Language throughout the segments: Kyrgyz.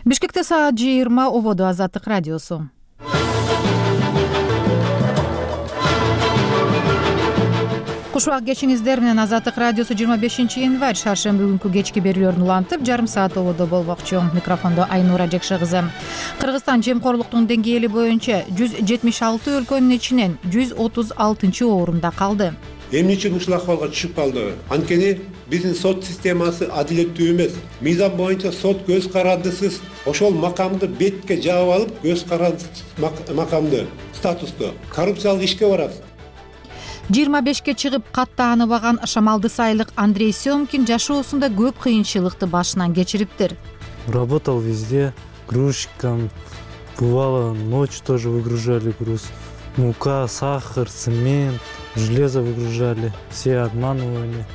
Бишкекте саат 20 ободо Азаттык радиосу. Куш убак кечиңиздер менен Азаттык радиосу 25-январь шаршемби күнкү кечки берүүлөрүн улантып, жарым саат ободо болмокчу. Микрофондо Айнура Жекше кызы. Кыргызстан жемкорлуктун деңгээли боюнча 176 өлкөнүн ичинен 136-орунда калды. Эмне үчүн ушул акыбалга түшүп калды? Анткени биздин сот системасы адилеттүү эмес. Мыйзам боюнча сот көз карандысыз ошол макамды бетке жаап алып, көз карандысыз макамды, статусту коррупциялык ишке барат. 25-ке чыгып каттааныбаган Шамалды Сайлык Андрей Семкин жашоосунда көп кыйынчылыкты башынан кечириптир. Работал везде, грузчиком. Бывало, ночью тоже выгружали груз. Мука, сахар, цемент, железо выгружали. Все обманывали.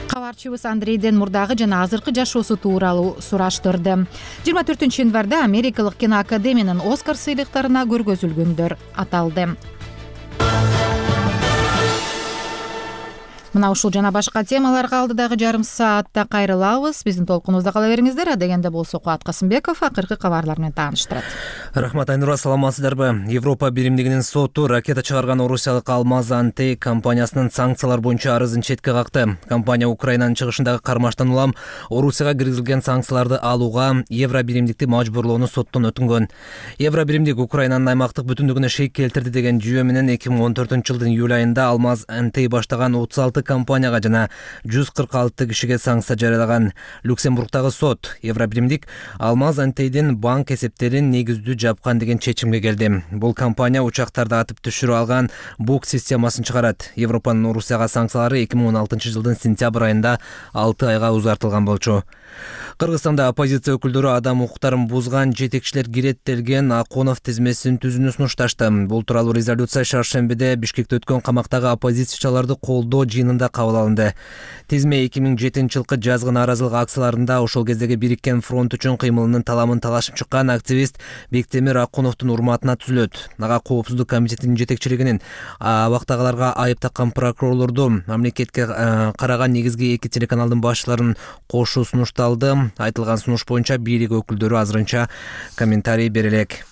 Кабарчыбыз Андрейден мурдагы жана азыркы жашоосу тууралуу сураштырды. 24-январда Америкалык киноакадемиянын Оскар сыйлыктарына көргөзүлгөндөр аталды. Мына ушул жана башка темаларга алдыдагы жарым саатта кайрылабыз. Биздин толкунубузда кала бериңиздер. Адегенде болсо Кубат Касымбеков акыркы кабарлар менен тааныштырат. Рахмат Айнура, саламатсыздарбы? Европа биримдигинин соту ракета чыгарган орусиялык Алмаз Антей компаниясынын санкциялар боюнча арызын четке какты. Компания Украинанын чыгышындагы кармаштан улам Орусияга киргизилген санкцияларды алууга евро биримдикти мажбурлоону соттон өтүнгөн. Евро биримдик Украинанын аймактык бүтүндүгүнө шек келтирди деген жүйө менен 2014-жылдын июль айында Алмаз Антей баштаган 36 компанияга жана 146 кишиге санкция жарыялаган. Люксембургдагы сот евро биримдик Алмаз Антейдин банк эсептерин негиздүү жапкан деген чечимге келди. Бул компания учактарды атып түшүрүп алган бук системасын чыгарат. Европанын Орусияга санкциялары 2016-жылдын сентябрь айында 6 айга узартылган болчу. Кыргызстанда оппозиция өкүлдөрү адам укуктарын бузган жетекчилер киреттелген Аконов тизмесин түзүүнү сунушташты. Бул тууралуу резолюция шаршембиде Бишкекте өткөн камактагы оппозициячыларды колдоо жыйынында кабыл алынды. Тизме 2007-жылкы жазгы нааразылык акцияларында ошол кездеги Бириккен фронт үчүн кыймылынын таламын талашып чыккан активист Бектемир Акуновдун урматына түзүлөт. Ага коопсуздук комитетинин жетекчилигинин абактагыларга айып таккан прокурорлорду мамлекетке караган негизги 2 телеканалдын башчыларын кошуу сунушталды. Айтылган сунуш боюнча бийлик өкүлдөрү азырынча комментарий бере элек.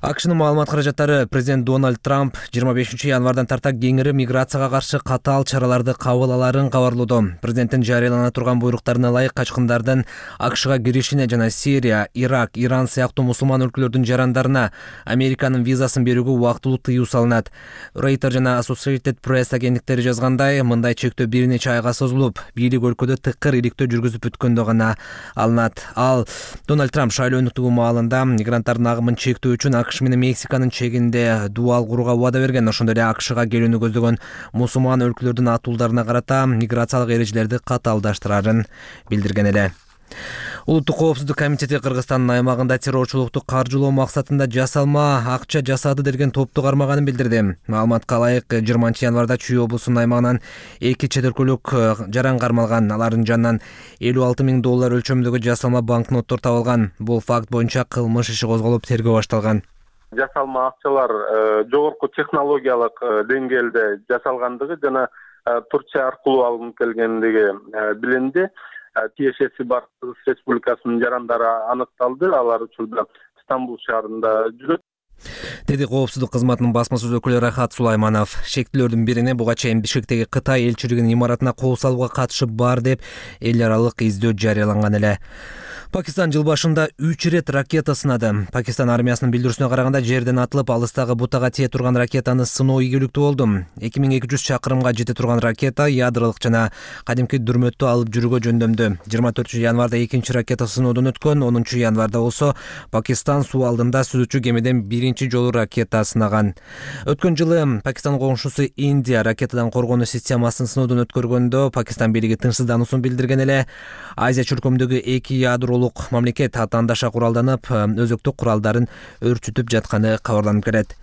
АКШнын маалымат каражаттары президент Дональд Трамп 25-январдан тарта кеңири миграцияга каршы катаал чараларды кабыл аларын кабарлоодо. Президенттин жарыялана турган буйруктарына ылайык качкындардын АКШга киришине жана Сирия, Ирак, Иран сыяктуу мусулман өлкөлөрдүн жарандарына Американын визасын берүүгө убактылуу тыюу салынат. Reuters жана Associated Press агенттиктери жазгандай, мындай чектөө бир нече айга созулуп, бийлик өлкөдө тыкыр иликтөө жүргүзүп бүткөндө гана алынат. Ал Дональд Трамп шайлоо өнүктүгү маалында мигранттардын агымын чектөө үчүн АКШ менен Мексиканын чегинде дуал курууга убада берген. Ошондой эле АКШга келүүнү көздөгөн мусулман өлкөлөрдүн атуулдарына карата миграциялык эрежелерди катаалдаштырарын билдирген эле. Улуттук коопсуздук комитети Кыргызстандын аймагында террорчулукту каржылоо максатында жасалма акча жасады деген топту кармаганын билдирди. Маалыматка ылайык 20-январда Чүй облусунун аймагынан 2 чет өлкөлүк жаран кармалган. Алардын жанынан $56 000 өлчөмүндөгү жасалма банкноттор табылган. Бул факт боюнча кылмыш иши козголуп тергөө башталган. Жасалма акчалар жогорку технологиялык деңгээлде жасалгандыгы жана Турция аркылуу алынып келгендиги билинди. Тиешеси бар Кыргыз Республикасынын жарандары аныкталды. Алар учурда Стамбул шаарында жүрөт. Деди коопсуздук кызматынын басма сөз өкүлү Рахат Сулайманов. Шектүүлөрдүн бирине буга чейин Бишкектеги Кытай элчилигинин имаратына кол салууга катышы бар деп эл аралык издөө жарыяланган эле. Пакистан жыл башында 3 рет ракета сынады. Пакистан армиясынын билдирүүсүнө караганда жерден атылып алыстагы бутага тие турган ракетаны сыноо ийгиликтүү болду. 2200 чакырымга жете турган ракета ядролук жана кадимки дүрмөттү алып жүрүүгө жөндөмдү. 24-январда экинчи ракета сыноодон өткөн. 10-январда болсо Пакистан суу алдында сүзүүчү кемеден биринчи жолу ракета сынаган. Өткөн жылы Пакистан коңшусу Индия ракетадан коргонуу системасын сыноодон өткөргөндө Пакистан бийлиги тынчсыздануусун билдирген эле. Азия чөлкөмүндөгү 2 ядролук мамлекет атаандаша куралданып, өзөктүк куралдарын өрчүтүп жатканы кабарланып келет.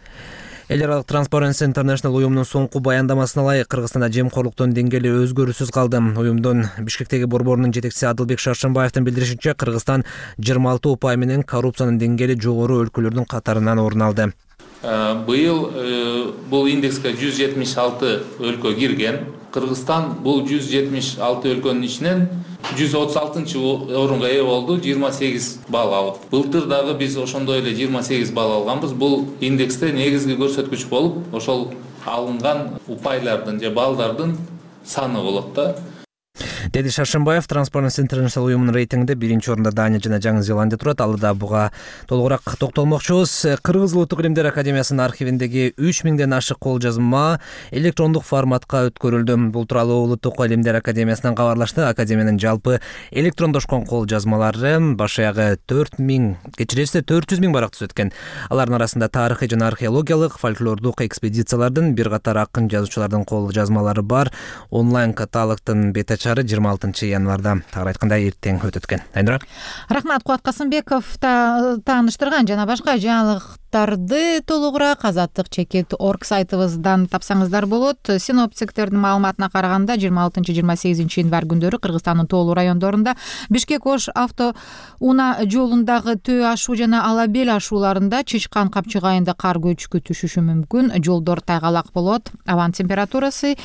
Эл аралык Transparency International уюмунун соңку баяндамасына ылайык Кыргызстанда жемкорлуктун деңгээли өзгөрүүсүз калды. Уюмдун Бишкектеги борборунун жетекчиси Адылбек Шаршембаевдин билдиришинче, Кыргызстан 26 упай менен коррупциянын деңгээли жогору өлкөлөрдүн катарынан орун алды. Быйыл бул индекске 176 өлкө кирген. Кыргызстан бул 176 өлкөнүн ичинен 136-орунга ээ болду, 28 балл алып. Былтыр дагы биз ошондой эле 28 балл алганбыз. Бул индексте негизги көрсөткүч болуп, ошол алынган упайлардын же баллдардын саны болот да. Деди Шаршембаев. Transparency International уюмунун рейтингинде 1-орунда Дания жана Жаңы Зеландия турат. Ал да буга толугураак токтолмокчубуз. Кыргыз Улуттук Илимдер Академиясынын архивиндеги 3000ден ашык кол жазма электрондук форматка өткөрүлдү. Бул тууралуу Улуттук Илимдер Академиясынан кабарлашты. Академиянын жалпы электрондошкон кол жазмалары баш аягы 400 миң барак түзөт экен. Алардын арасында тарыхый жана археологиялык, фольклордук экспедициялардын, бир катар акын жазуучулардын кол жазмалары бар. Онлайн каталогдун бет ачары 26 январда, тагыраак айтканда эртең өтөт экен. Айнура. Рахмат, Кубат Касымбеков тааныштырган жана башка жаңылыктарды толугураак azatlyk.org сайтыбыздан тапсаңыздар болот. Синоптиктердин маалыматына караганда 26-28 январь күндөрү Кыргызстандын тоолуу райондорунда Бишкек-Ош авто унаа жолундагы Төө ашуу жана Алабел ашууларында Чычкан капчыгайында кар көчкү түшүшү мүмкүн. Жолдор тайгалак болот. Абанын температурасы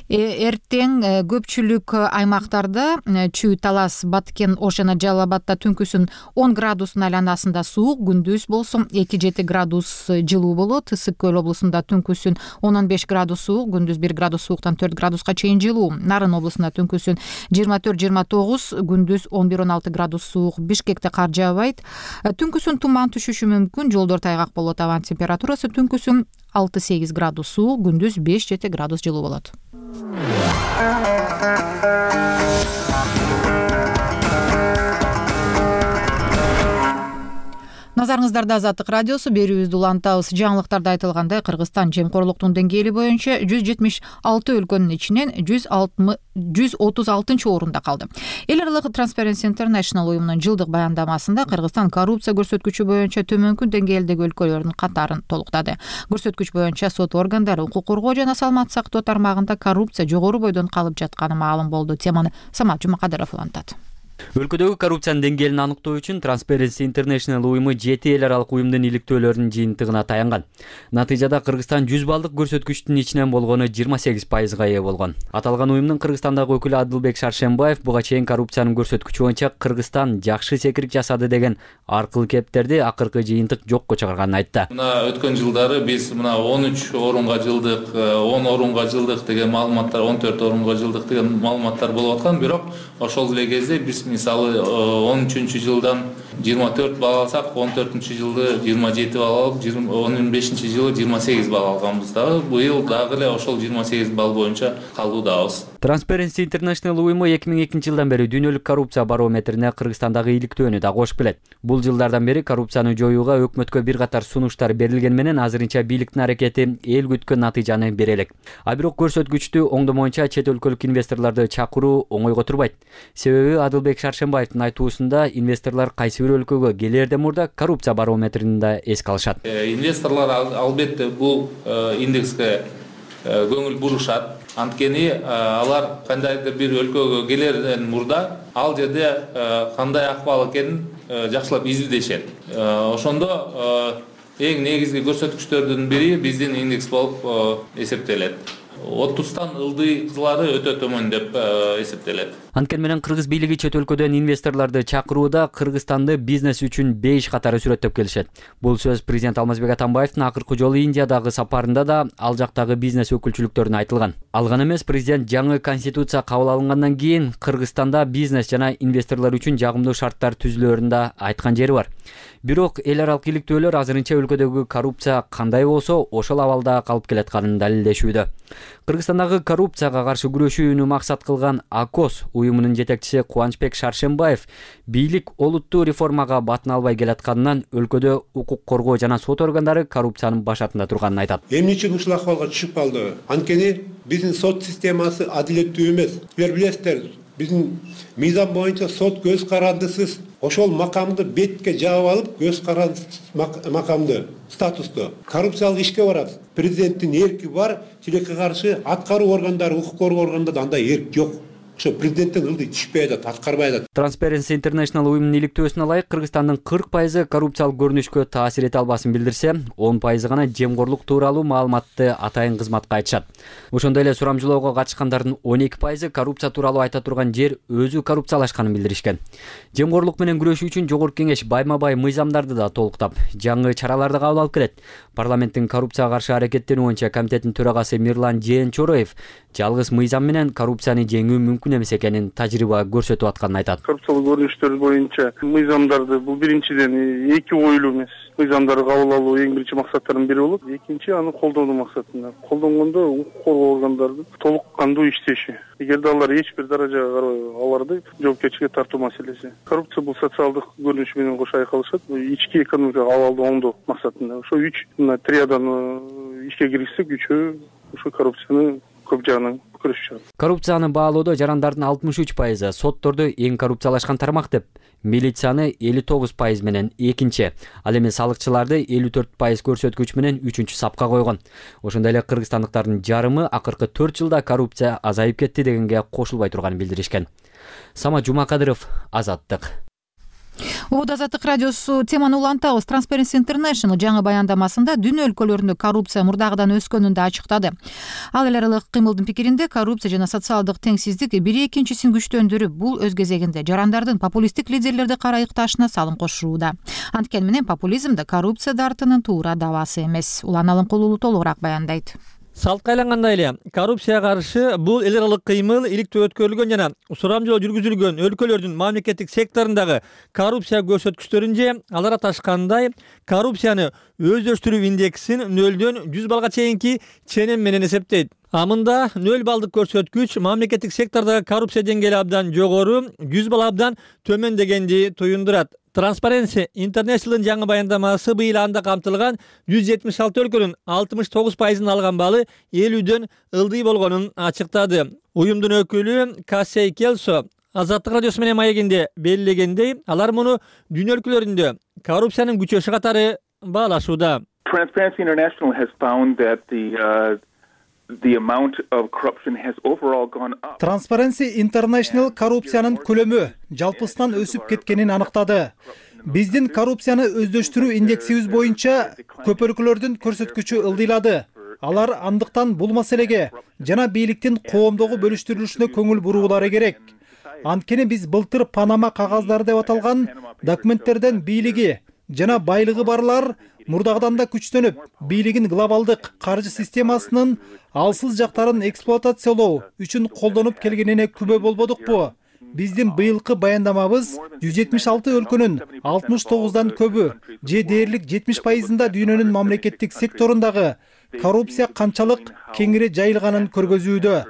эртең көпчүлүк аймактарда Чүй, Талас, Баткен, Ош жана Жалал Абадда түнкүсүн 10 градустун айланасында суук, күндүз болсо 2-7 градус жылуу болот. Ысык Көл облусунда түнкүсүн 10-15 градус суук, күндүз 1 градус сууктан 4 градуска чейин жылуу. Нарын облусунда түнкүсүн 24-29, күндүз 11-16 градус суук. Бишкекте кар жаабайт. Түнкүсүн туман түшүшү мүмкүн, жолдор тайгак болот. Абанын температурасы түнкүсүн 6-8 градус суук, күндүз 5-7 градус жылуу болот. Назарыңыздарда Азаттык радиосу, берүүбүздү улантабыз. Жаңылыктарда айтылгандай, Кыргызстан жемкорлуктун деңгээли боюнча 176 өлкөнүн ичинен 136-орунда калды. Эл аралык Transparency International уюмунун жылдык баяндамасында Кыргызстан коррупция көрсөткүчү боюнча төмөнкү деңгээлдеги өлкөлөрдүн катарын толуктады. Көрсөткүч боюнча сот органдары, укук коргоо жана саламаттык сактоо тармагында коррупция жогору бойдон калып жатканы маалым болду. Теманы Самат Жумакадыров улантат. Өлкөдөгү коррупциянын деңгээлин аныктоо үчүн Transparency International уюму 7 эл аралык уюмдун иликтөөлөрүнүн жыйынтыгына таянган. Натыйжада Кыргызстан 100 баллдык көрсөткүчтүн ичинен болгону 28%га ээ болгон. Аталган уюмдун Кыргызстандагы өкүлү Адылбек Шаршембаев буга чейин коррупциянын көрсөткүчү боюнча Кыргызстан жакшы секирик жасады деген аркылуу кептерди акыркы жыйынтык жокко чыгарганын айтты. Мына өткөн жылдары биз мына 13 орунга жылдык, 10 орунга жылдык деген маалыматтар, 14 орунга жылдык деген маалыматтар болуп аткан, бирок ошол эле кезде биз мисалы 13-жылдан 24 балл алсак, 14-жылды 27 балл алып, 15-жылы 28 балл алганбыз дагы. Быйыл дагы эле ошол 28 балл боюнча калуудабыз. Transparency International уюму 2002 жылдан бери дүйнөлүк коррупция барометрине Кыргызстандагы иликтөөнү да кошуп келет. Бул жылдардан бери коррупцияны жоюуга өкмөткө бир катар сунуштар берилген менен азырынча бийликтин аракети эл күткөн натыйжаны бере элек. А бирок көрсөткүчтү оңдомоюнча чет өлкөлүк инвесторлорду чакыруу оңойго турбайт. Себеби Адылбек Шаршембаевдин айтуусунда инвесторлор кайсы бир өлкөгө келерден мурда коррупция барометрин да эске алышат. Инвесторлор албетте бул индекске көңүл бурушат. Анткени алар кандайдыр бир өлкөгө келерден мурда ал жерде кандай акыбал экенин жакшылап изилдешет. Ошондо эң негизги көрсөткүчтөрдүн бири биздин индекс болуп эсептелет. 30тан ылдыйлары өтө төмөн деп эсептелет. Анткени менен кыргыз бийлиги чет өлкөдөн инвесторлорду чакырууда Кыргызстанды бизнес үчүн 5 катары сүрөттөп келишет. Бул сөз президент Алмазбек Атамбаевдин акыркы жолу Индиядагы сапарында да ал жактагы бизнес өкүлчүлүктөрүнө айтылган. Ал гана эмес, президент жаңы конституция кабыл алынгандан кийин Кыргызстанда бизнес жана инвесторлор үчүн жагымдуу шарттар түзүлөөрүн да айткан жери бар. Бирок эл аралык иликтөөлөр азырынча өлкөдөгү коррупция кандай болсо ошол абалда калып келатканын далилдешүүдө. Кыргызстандагы коррупцияга каршы күрөшүүнү максат кылган АКОС уюмунун жетекчиси Кубанычбек Шаршембаев бийлик олуттуу реформага батын албай келатканынан өлкөдө укук коргоо жана сот органдары коррупциянын башатында турганын айтат. Эмне үчүн ушул акыбалга түшүп калды? Анткени биздин сот системасы адилеттүү эмес. Силер билесиздер, биздин мыйзам боюнча сот көз карандысыз ошол макамды бетке жаап алып, көз карандысыз макамды, статусту коррупциялык ишке барат. Президенттин эрки бар, тилекке каршы аткаруу органдары, укук коргоо органдарында андай эрк жок. ошо президенттин ылдый түшпөй атат, аткарбай атат. Transparency International уюмунун иликтөөсүнө ылайык Кыргызстандын 40% коррупциялык көрүнүшкө таасир эте албасын билдирсе, 10% гана жемкорлук тууралуу маалыматты атайын кызматка айтышат. Ошондой эле сурамжылоого катышкандардын 12% коррупция тууралуу айта турган жер өзү коррупциялашканын билдиришкен. Жемкорлук менен күрөшүү үчүн Жогорку Кеңеш байма-бай мыйзамдарды да толуктап, жаңы чараларды кабыл алып келет. Парламенттин коррупцияга каршы аракеттенүү боюнча комитеттин төрагасы Мирлан Жээнчороев жалгыз мыйзам менен коррупцияны жеңүү мүмкүн эмес экенин тажрыйба көрсөтүп атканын айтат. Коррупциялык көрүнүштөр боюнча мыйзамдарды бул биринчиден эки коюлуу эмес. Мыйзамдарды кабыл алуу эң биринчи максаттардын бири болот. Экинчи аны колдонуу максатында. Колдонгондо укук коргоо органдардын толук кандуу иштеши. Эгерде алар эч бир даражага карабай аларды жоопкерчиликке тартуу маселеси. Коррупция бул социалдык көрүнүш менен кошо айкалышат. Ички экономикалык абалды оңдоо максатында. Ошо 3 триаданы ишке киргизсек, үчөө ошо коррупцияны көп жагынан күрөшүп чыгат. Коррупцияны баалоодо жарандардын 63%, сотторду эң коррупциялашкан тармак деп, милицияны 59% менен экинчи, ал эми салыкчыларды 54% көрсөткүч менен үчүнчү сапка койгон. Ошондой эле кыргызстандыктардын жарымы акыркы 4 жылда коррупция азайып кетти дегенге кошулбай турганын билдиришкен. Сама Жумакадыров, Азаттык. Убуд Азаттык радиосу теманы улантабыз. Transparency International жаңы баяндамасында дүйнө өлкөлөрүндө коррупция мурдагыдан өскөнүн да ачыктады. Ал эл аралык кыймылдын пикиринде коррупция жана социалдык теңсиздик бири экинчисин күчтөндүрүп, бул өз кезегинде жарандардын популисттик лидерлерди кара ыкташына салым кошууда. Анткени менен популизм да коррупция дартынын туура давасы эмес. Улан Алымкулуу толугураак баяндайт. Салтка айлангандай эле коррупцияга каршы бул эл аралык кыймыл иликтөө өткөрүлгөн жана сурамжылоо жүргүзүлгөн өлкөлөрдүн мамлекеттик секторундагы коррупция көрсөткүчтөрүнчө алар аташкандай коррупцияны өздөштүрүү индексин 0-дөн 100 балга чейинки ченем менен эсептейт. Амында 0 балдык көрсөткүч мамлекеттик сектордогу коррупция деңгээли абдан жогору, 100 бал абдан төмөн дегенди туюндурат. Transparency International'ın жаңы баяндамасы быйыл анда камтылган 176 өлкөнүн 69%ын алган балы 50-дөн ылдый болгонун ачыктады. Уюмдун өкүлү Кассей Келсо Азаттык радиосу менен маегинде белгилегендей, алар муну дүйнө өлкөлөрүндө коррупциянын күчөшү катары баалашууда. Transparency International has found that the amount of corruption has overall gone up. Transparency International коррупциянын көлөмү жалпысынан өсүп кеткенин аныктады. Биздин коррупцияны өздөштүрүү индексибиз боюнча көп өлкөлөрдүн көрсөткүчү ылдыйлады. Алар андыктан бул маселеге жана бийликтин коомдогу бөлүштүрүлүшүнө көңүл буруулары керек. Анткени биз былтыр Панама кагаздары деп аталган документтерден бийлиги жана байлыгы барлар мурдагыдан да күчтөнүп, бийлигин глобалдык каржы системасынын алсыз жактарын эксплуатациялоо үчүн колдонуп келгенине күбө болбодукпу? Биздин быйылкы баяндамабыз 176 өлкөнүн 69дан көбү, же дээрлик 70%-ында дүйнөнүн мамлекеттик секторундагы коррупция канчалык кеңири жайылганын көргөзүүдө.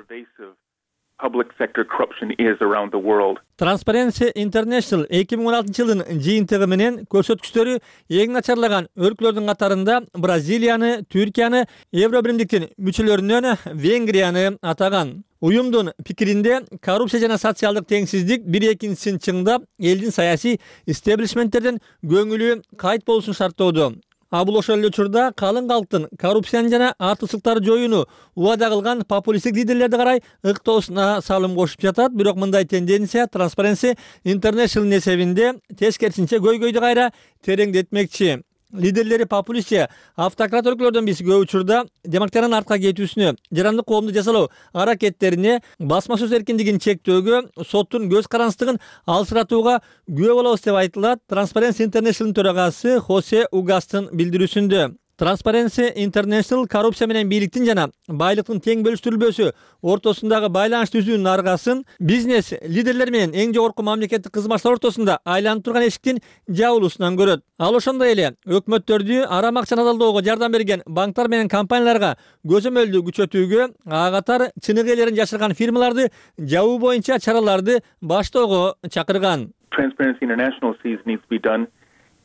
Public sector corruption is around the world. Transparency International 2016-жылдын жыйынтыгы менен көрсөткүчтөрү эң начарлаган өлкөлөрдүн катарында Бразилияны, Түркияны, Евробиримдиктин мүчөлөрүнөн Венгрияны атаган. Уюмдун пикиринде коррупция жана социалдык теңсиздик бир экинчисин чыңдап, элдин саясий истеблишменттерден көңүлү кайт болушун шарттоодо. Бул ошол эле учурда калың калктын коррупцияны жана артыкчылыктарды жоюуну убада кылган популисттик лидерлерди карай ыктоосуна салым кошуп жатат. Бирок мындай тенденция Transparency International эсебинде тескерисинче көйгөйдү кайра тереңдетмекчи. Лидерлери популистче автократ өлкөлөрдөн биз көп учурда демократиянын артка кетүүсүнө, жарандык коомду жасалуу аракеттерине, басма сөз эркиндигин чектөөгө, соттун көз карандысыздыгын алсыратууга күбө болобуз деп айтылат Transparency International төрагасы Хосе Угастын билдирүүсүндө. Transparency International коррупция менен бийликтин жана байлыктын тең бөлүштүрүлбөсү ортосундагы байланыш түзүүнүн аргасын бизнес лидерлер менен эң жогорку мамлекеттик кызматчылар ортосунда айланып турган эшиктин жабылуусунан көрөт. Ал ошондой эле өкмөттөрдү арам акчаны алдоого жардам берген банктар менен компанияларга көзөмөлдү күчөтүүгө, ага катар чыныгы ээлерин жашырган фирмаларды жабуу боюнча чараларды баштоого чакырган. Transparency International sees needs to be done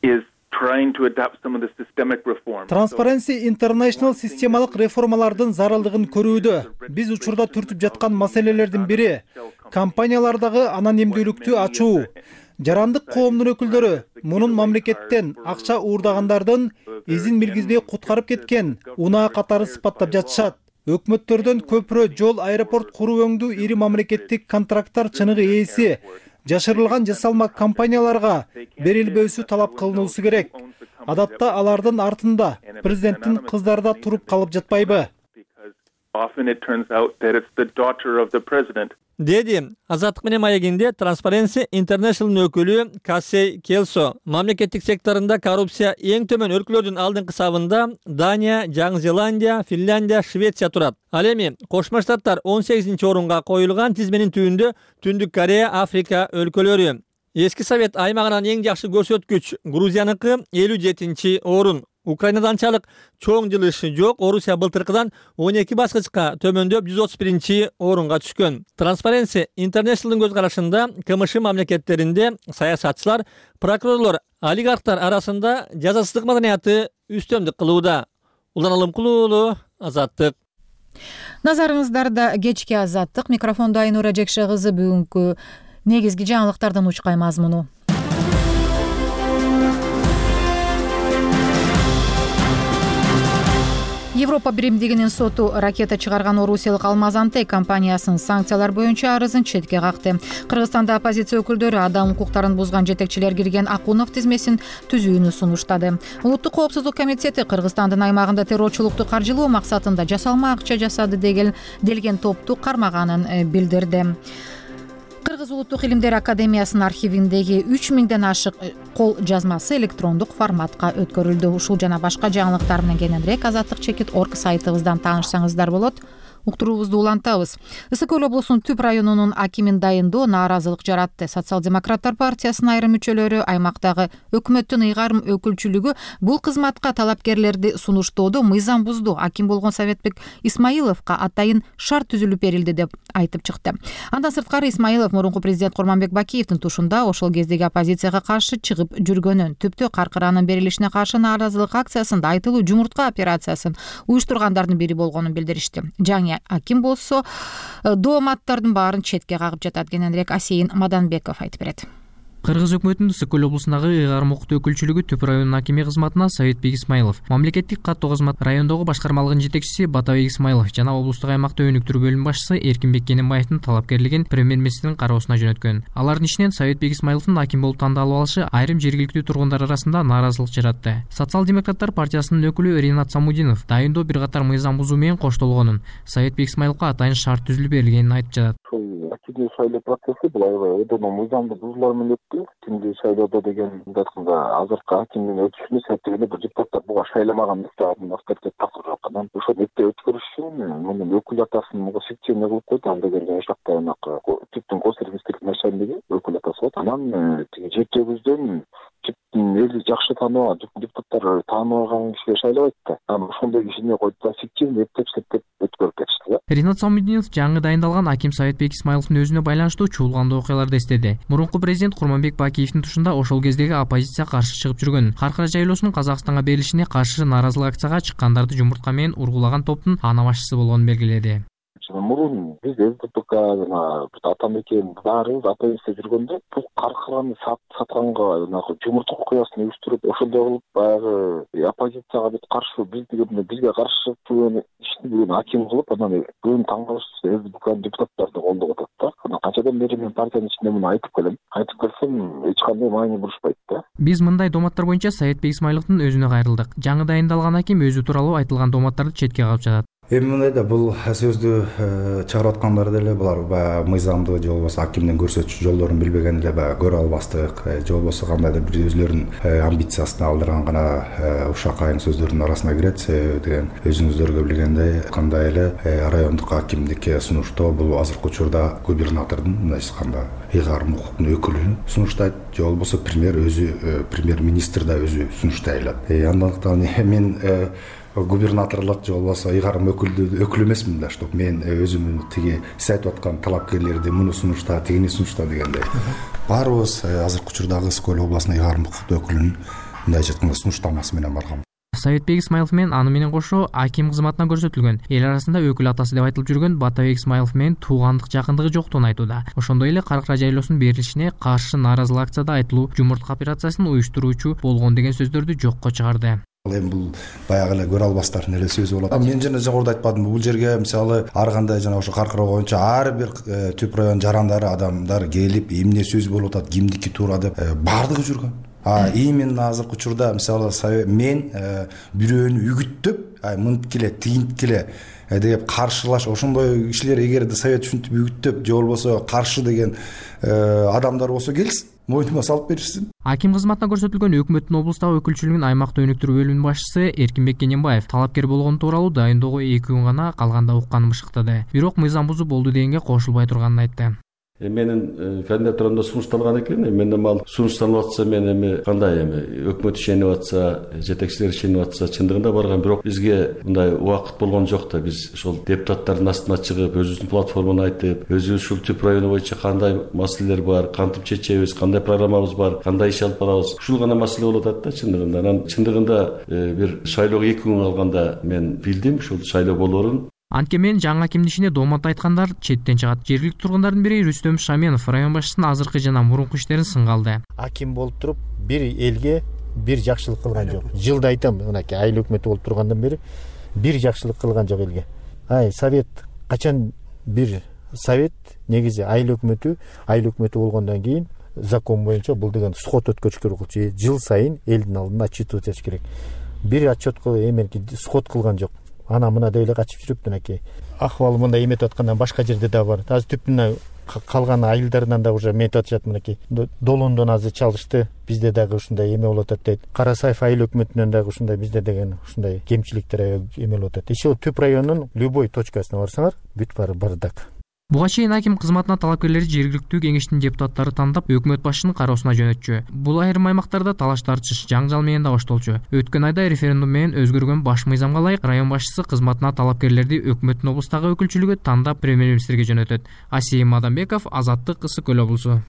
is trying to adapt some of the systemic reforms. Transparency International системалык реформалардын зарылдыгын көрүүдө. Биз учурда түртүп жаткан маселелердин бири компаниялардагы анонимдүүлүктү ачуу. Жарандык коомдун өкүлдөрү мунун мамлекеттен акча уурдагандардын изин билгизбей куткарып кеткен унаа катары сыпаттап жатышат. өкмөттөрдөн көпүрө, жол, аэропорт куруу өңдүү ири мамлекеттик контракттар чыныгы ээси жашырылган жасалма компанияларга берилбөөсү талап кылынуусу керек. Адатта алардын артында президенттин кыздары да туруп калып жатпайбы? Деди Азаттык менен маегинде Transparency International өкүлү Кассей Келсо. Мамлекеттик секторунда коррупция эң төмөн өлкөлөрдүн алдыңкы сабында Дания, Жаңы Зеландия, Финляндия, Швеция турат. Ал эми Кошмо Штаттар 18-чи орунга коюлган тизменин түбүндө Түндүк Корея, Африка өлкөлөрү. Эски Совет аймагынан эң жакшы көрсөткүч Грузияныкы 57-чи орун. Украинада анчалык чоң жылыш жок. Орусия былтыркыдан 12 баскычка төмөндөп 131-чи орунга түшкөн. Transparency International'дын көз карашында КМШ мамлекеттеринде саясатчылар, прокурорлор, олигархтар арасында жазасыздык маданияты үстөмдүк кылууда. Улан Алымкулуу уулу, Азаттык. Назарыңыздарда кечки Азаттык. Микрофондо Айнура Жекше кызы. Бүгүнкү негизги жаңылыктардан учкай мазмуну. Европа биримдигинин соту ракета чыгарган орусиялык Алмаз-Антей компаниясынын санкциялар боюнча арызын четке какты. Кыргызстанда оппозиция өкүлдөрү адам укуктарын бузган жетекчилер кирген Акунов тизмесин түзүүнү сунуштады. Улуттук коопсуздук комитети Кыргызстандын аймагында террорчулукту каржылоо максатында жасалма акча жасады делген топту кармаганын билдирди. Кыргыз Улуттук илимдер академиясынын архивиндеги 3000ден ашык кол жазмасы электрондук форматка өткөрүлдү. Ушул жана башка жаңылыктар менен кененирээк azatlyk.org сайтыбыздан таанышсаңыздар болот. Уктуруубузду улантабыз. Ысык Көл облусунун Түп районунун акимин дайындоо нааразылык жаратты. Социал-демократтар партиясынын айрым мүчөлөрү аймактагы өкмөттүн ыйгарым өкүлчүлүгү бул кызматка талапкерлерди сунуштоодо мыйзам бузду. Аким болгон Советбек Исмаиловго атайын шарт түзүлүп берилди деп айтып чыкты. Андан сырткары Исмаилов мурунку президент Курманбек Бакиевдин тушунда ошол кездеги оппозицияга каршы чыгып жүргөнүн, Түптө каркыранын берилишине каршы нааразылык акциясында айтылуу жумуртка операциясын уюштургандардын бири болгонун билдиришти. Жаңы аким болсо дооматтардын баарын четке кагып жатат. Кененирээк Асейин Маданбеков айтып берет. Кыргыз өкмөтүнүн Ысык Көл облусундагы ыйгарым укуктуу өкүлчүлүгү Түп районунун акими кызматына Советбек Исмаилов, мамлекеттик каттоо кызмат райондогу башкармалыгынын жетекчиси Батабек Исмаилов жана облустук аймактык өнүктүрүү бөлүм башчысы Эркинбек Кененбаевдин талапкерлигин премьер-министрдин кароосуна жөнөткөн. Алардын ичинен Советбек Исмаиловдун аким болуп тандалып алышы айрым жергиликтүү тургундар арасында нааразылык жаратты. Социал-демократтар партиясынын өкүлү Ринат Самудинов дайындоо бир катар мыйзам бузуу менен коштолгонун, Советбек Исмаиловго атайын шарт түзүлүп берилгенин айтып жатат. Активдүү шайлоо процесси бул аябай өтө мыйзамдуу бузуулар менен өттү. Түндү шайлоодо деген айтканда азыркы акимдин өтүшүнө септигинде бир депутаттар буга шайламаган мисалын авторитет тапкырып аткан. Ошол эпте өткөрүш үчүн мунун өкүл атасын шектөөнө кылып койду. Ал деген ошол жакта Түптүн госрегистрлик начальниги өкүл атасы болот. Анан тиги жер жебүздөн Түптүн эли жакшы тааныбаган депутаттар тааныбаган кишиге шайлабайт да. Анан ошондой кишине койду да фиктивный эптеп өткөрүп кетишти. Ринат Самудинов жаңы дайындалган аким Советбек Исмаиловдун өзүнө байланыштуу чуулгандуу окуяларды эстеди. Мурунку президент Курманбек Бакиевдин тушунда ошол кездеги оппозиция каршы чыгып жүргөн. Каркыра жайлоосунун Казакстанга берилишине каршы нааразылык акцияга чыккандарды жумуртка менен ургулаган топтун ана башчысы болгонун белгиледи. Мурун биз СДПК жана Атамекен баарыбыз оппозиция жүргөндө бул каркыраны сатканга жумуртка окуясын уюштуруп ошондой кылып баягы оппозицияга бүт каршы бизге каршы жүргөн ишни аким кылып анан бүгүн таң калыштуу СДПК депутаттарды колдоп атат да. Анан канчадан бери мен партиянын ичинде муну айтып келем. Айтып келсем эч кандай маани бурушпайт да. Биз мындай дооматтар боюнча Советбек Исмаиловдун өзүнө кайрылдык. Жаңы дайындалган аким өзү тууралуу айтылган дооматтарды четке кагып жатат. Эми мындай да бул сөздү чыгарып аткандар деле булар баягы мыйзамды же болбосо акимдин көрсөтчү жолдорун билбеген эле баягы көрө албастык же болбосо кандайдыр бир өзлөрүнүн амбициясына алдырган гана ушакайын сөздөрдүн арасына кирет. Деген өзүңүздөр билгендей кандай эле райондук акимдикке сунуштоо бул азыркы учурда губернатордун мындайча айтканда ыйгарым укуктун өкүлү сунуштайт же болбосо премьер-министр да өзү сунуштай алат. Андыктан мен губернаторлук же болбосо ыйгарым өкүл эмесмин да, чтоб мен өзүмдүн тиги сиз айтып аткан талапкерлерди муну сунушта, тигини сунушта дегендей. Баарыбыз азыркы учурдагы Ысык Көл областынын ыйгарым укуктуу өкүлүнүн мындайча айтканда сунуштамасы менен барган. Советбек Исмаилов менен аны менен кошо аким кызматына көрсөтүлгөн. Эл арасында өкүл атасы деп айтылып жүргөн Батабек Исмаилов менен туугандык жакындыгы жоктугун айтууда. Ошондой эле Каркыра жайлоосунун берилишине каршы нааразылык акцияда айтылуу жумуртка операциясын уюштуруучу болгон деген сөздөрдү жокко чыгарды. Эми бул баягы эле көрө албастардын эле сөзү болот. Мен жана жогоруда айтпадымбы, бул жерге мисалы ар кандай жана ошо каркыроо боюнча ар бир түп район жарандары адамдар келип эмне сөз болуп атат, кимдики туура деп баардыгы жүргөн. Именно азыркы учурда мисалы мен бирөөнү үгүттөп, мынткиле, тигинткиле деп каршылаш ошондой кишилер эгерде совет ушинтип үгүттөп же болбосо каршы деген адамдар болсо келсин, мойнума салып беришсин. Аким кызматына көрсөтүлгөн өкмөттүн облустагы өкүлчүлүгүнүн аймакта өнүктүрүү бөлүмүнүн башчысы Эркинбек Кененбаев талапкер болгону тууралуу дайындоого 2 күн гана калганда укканын бышыктады. Бирок мыйзам бузуп болду дегенге кошулбай турганын айтты. Менин кандидатурамда сунушталган экен. Мен ал сунушталып атса, мен кандай өкмөт ишенип атса, жетекчилер ишенип атса, чындыгында барган, бирок бизге мындай убакыт болгон жок да. Биз ошол депутаттардын астына чыгып, өзүбүздүн платформаны айтып, өзүбүз ушул түп району боюнча кандай маселелер бар, кантип чечебиз, кандай программабыз бар, кандай иш алып барабыз. Ушул гана маселе болуп атат да чындыгында. Анан чындыгында бир шайлоого 2 күн калганда мен билдим ушул шайлоо болоорун. Анткемен жаңы акимдин ишине доомат айткандар четтен чыгат. Жергиликтүү тургундардын бири Рүстөм Шаменов район башчысынын азыркы жана мурунку иштерин сынга алды. Аким болуп туруп, бир элге бир жакшылык кылган жок. Жылда айтам, мынакей айыл өкмөтү болуп тургандан бери бир жакшылык кылган жок элге. Совет качан бир совет негизи айыл өкмөтү болгондон кийин закон боюнча бул деген сход өткөрүш керек. Жыл сайын элдин алдында отчет өтөш керек. Бир отчетко сход кылган жок. Ана мына деп эле качып жүрүп, мынакей акыбалы мындай эметип аткандан башка жерде да бар. Азыр түптүнө калган айылдарынан да уже эметип атышат, мынакей Долондон азыр чалышты. Бизде дагы ушундай эме болуп атат дейт. Карасаев айыл өкмөтүнөн дагы ушундай бизде деген ушундай кемчиликтер эме болуп атат. Иши түп районунун любой точкасына барсаңар, бүт баары бардак. Буга чейин аким кызматына талапкерлерди жергиликтүү кеңештин депутаттары тандап өкмөт башчынын кароосуна жөнөтчү. Бул айрым аймактарда талаш тартыш, жаңжал менен да баштолчу. Өткөн айда референдум менен өзгөргөн баш мыйзамга ылайык район башчысы кызматына талапкерлерди өкмөттүн облустагы өкүлчүлүгү тандап премьер-министрге жөнөтөт. Асий Мадамбеков, Азаттык, Ысык Көл облусу.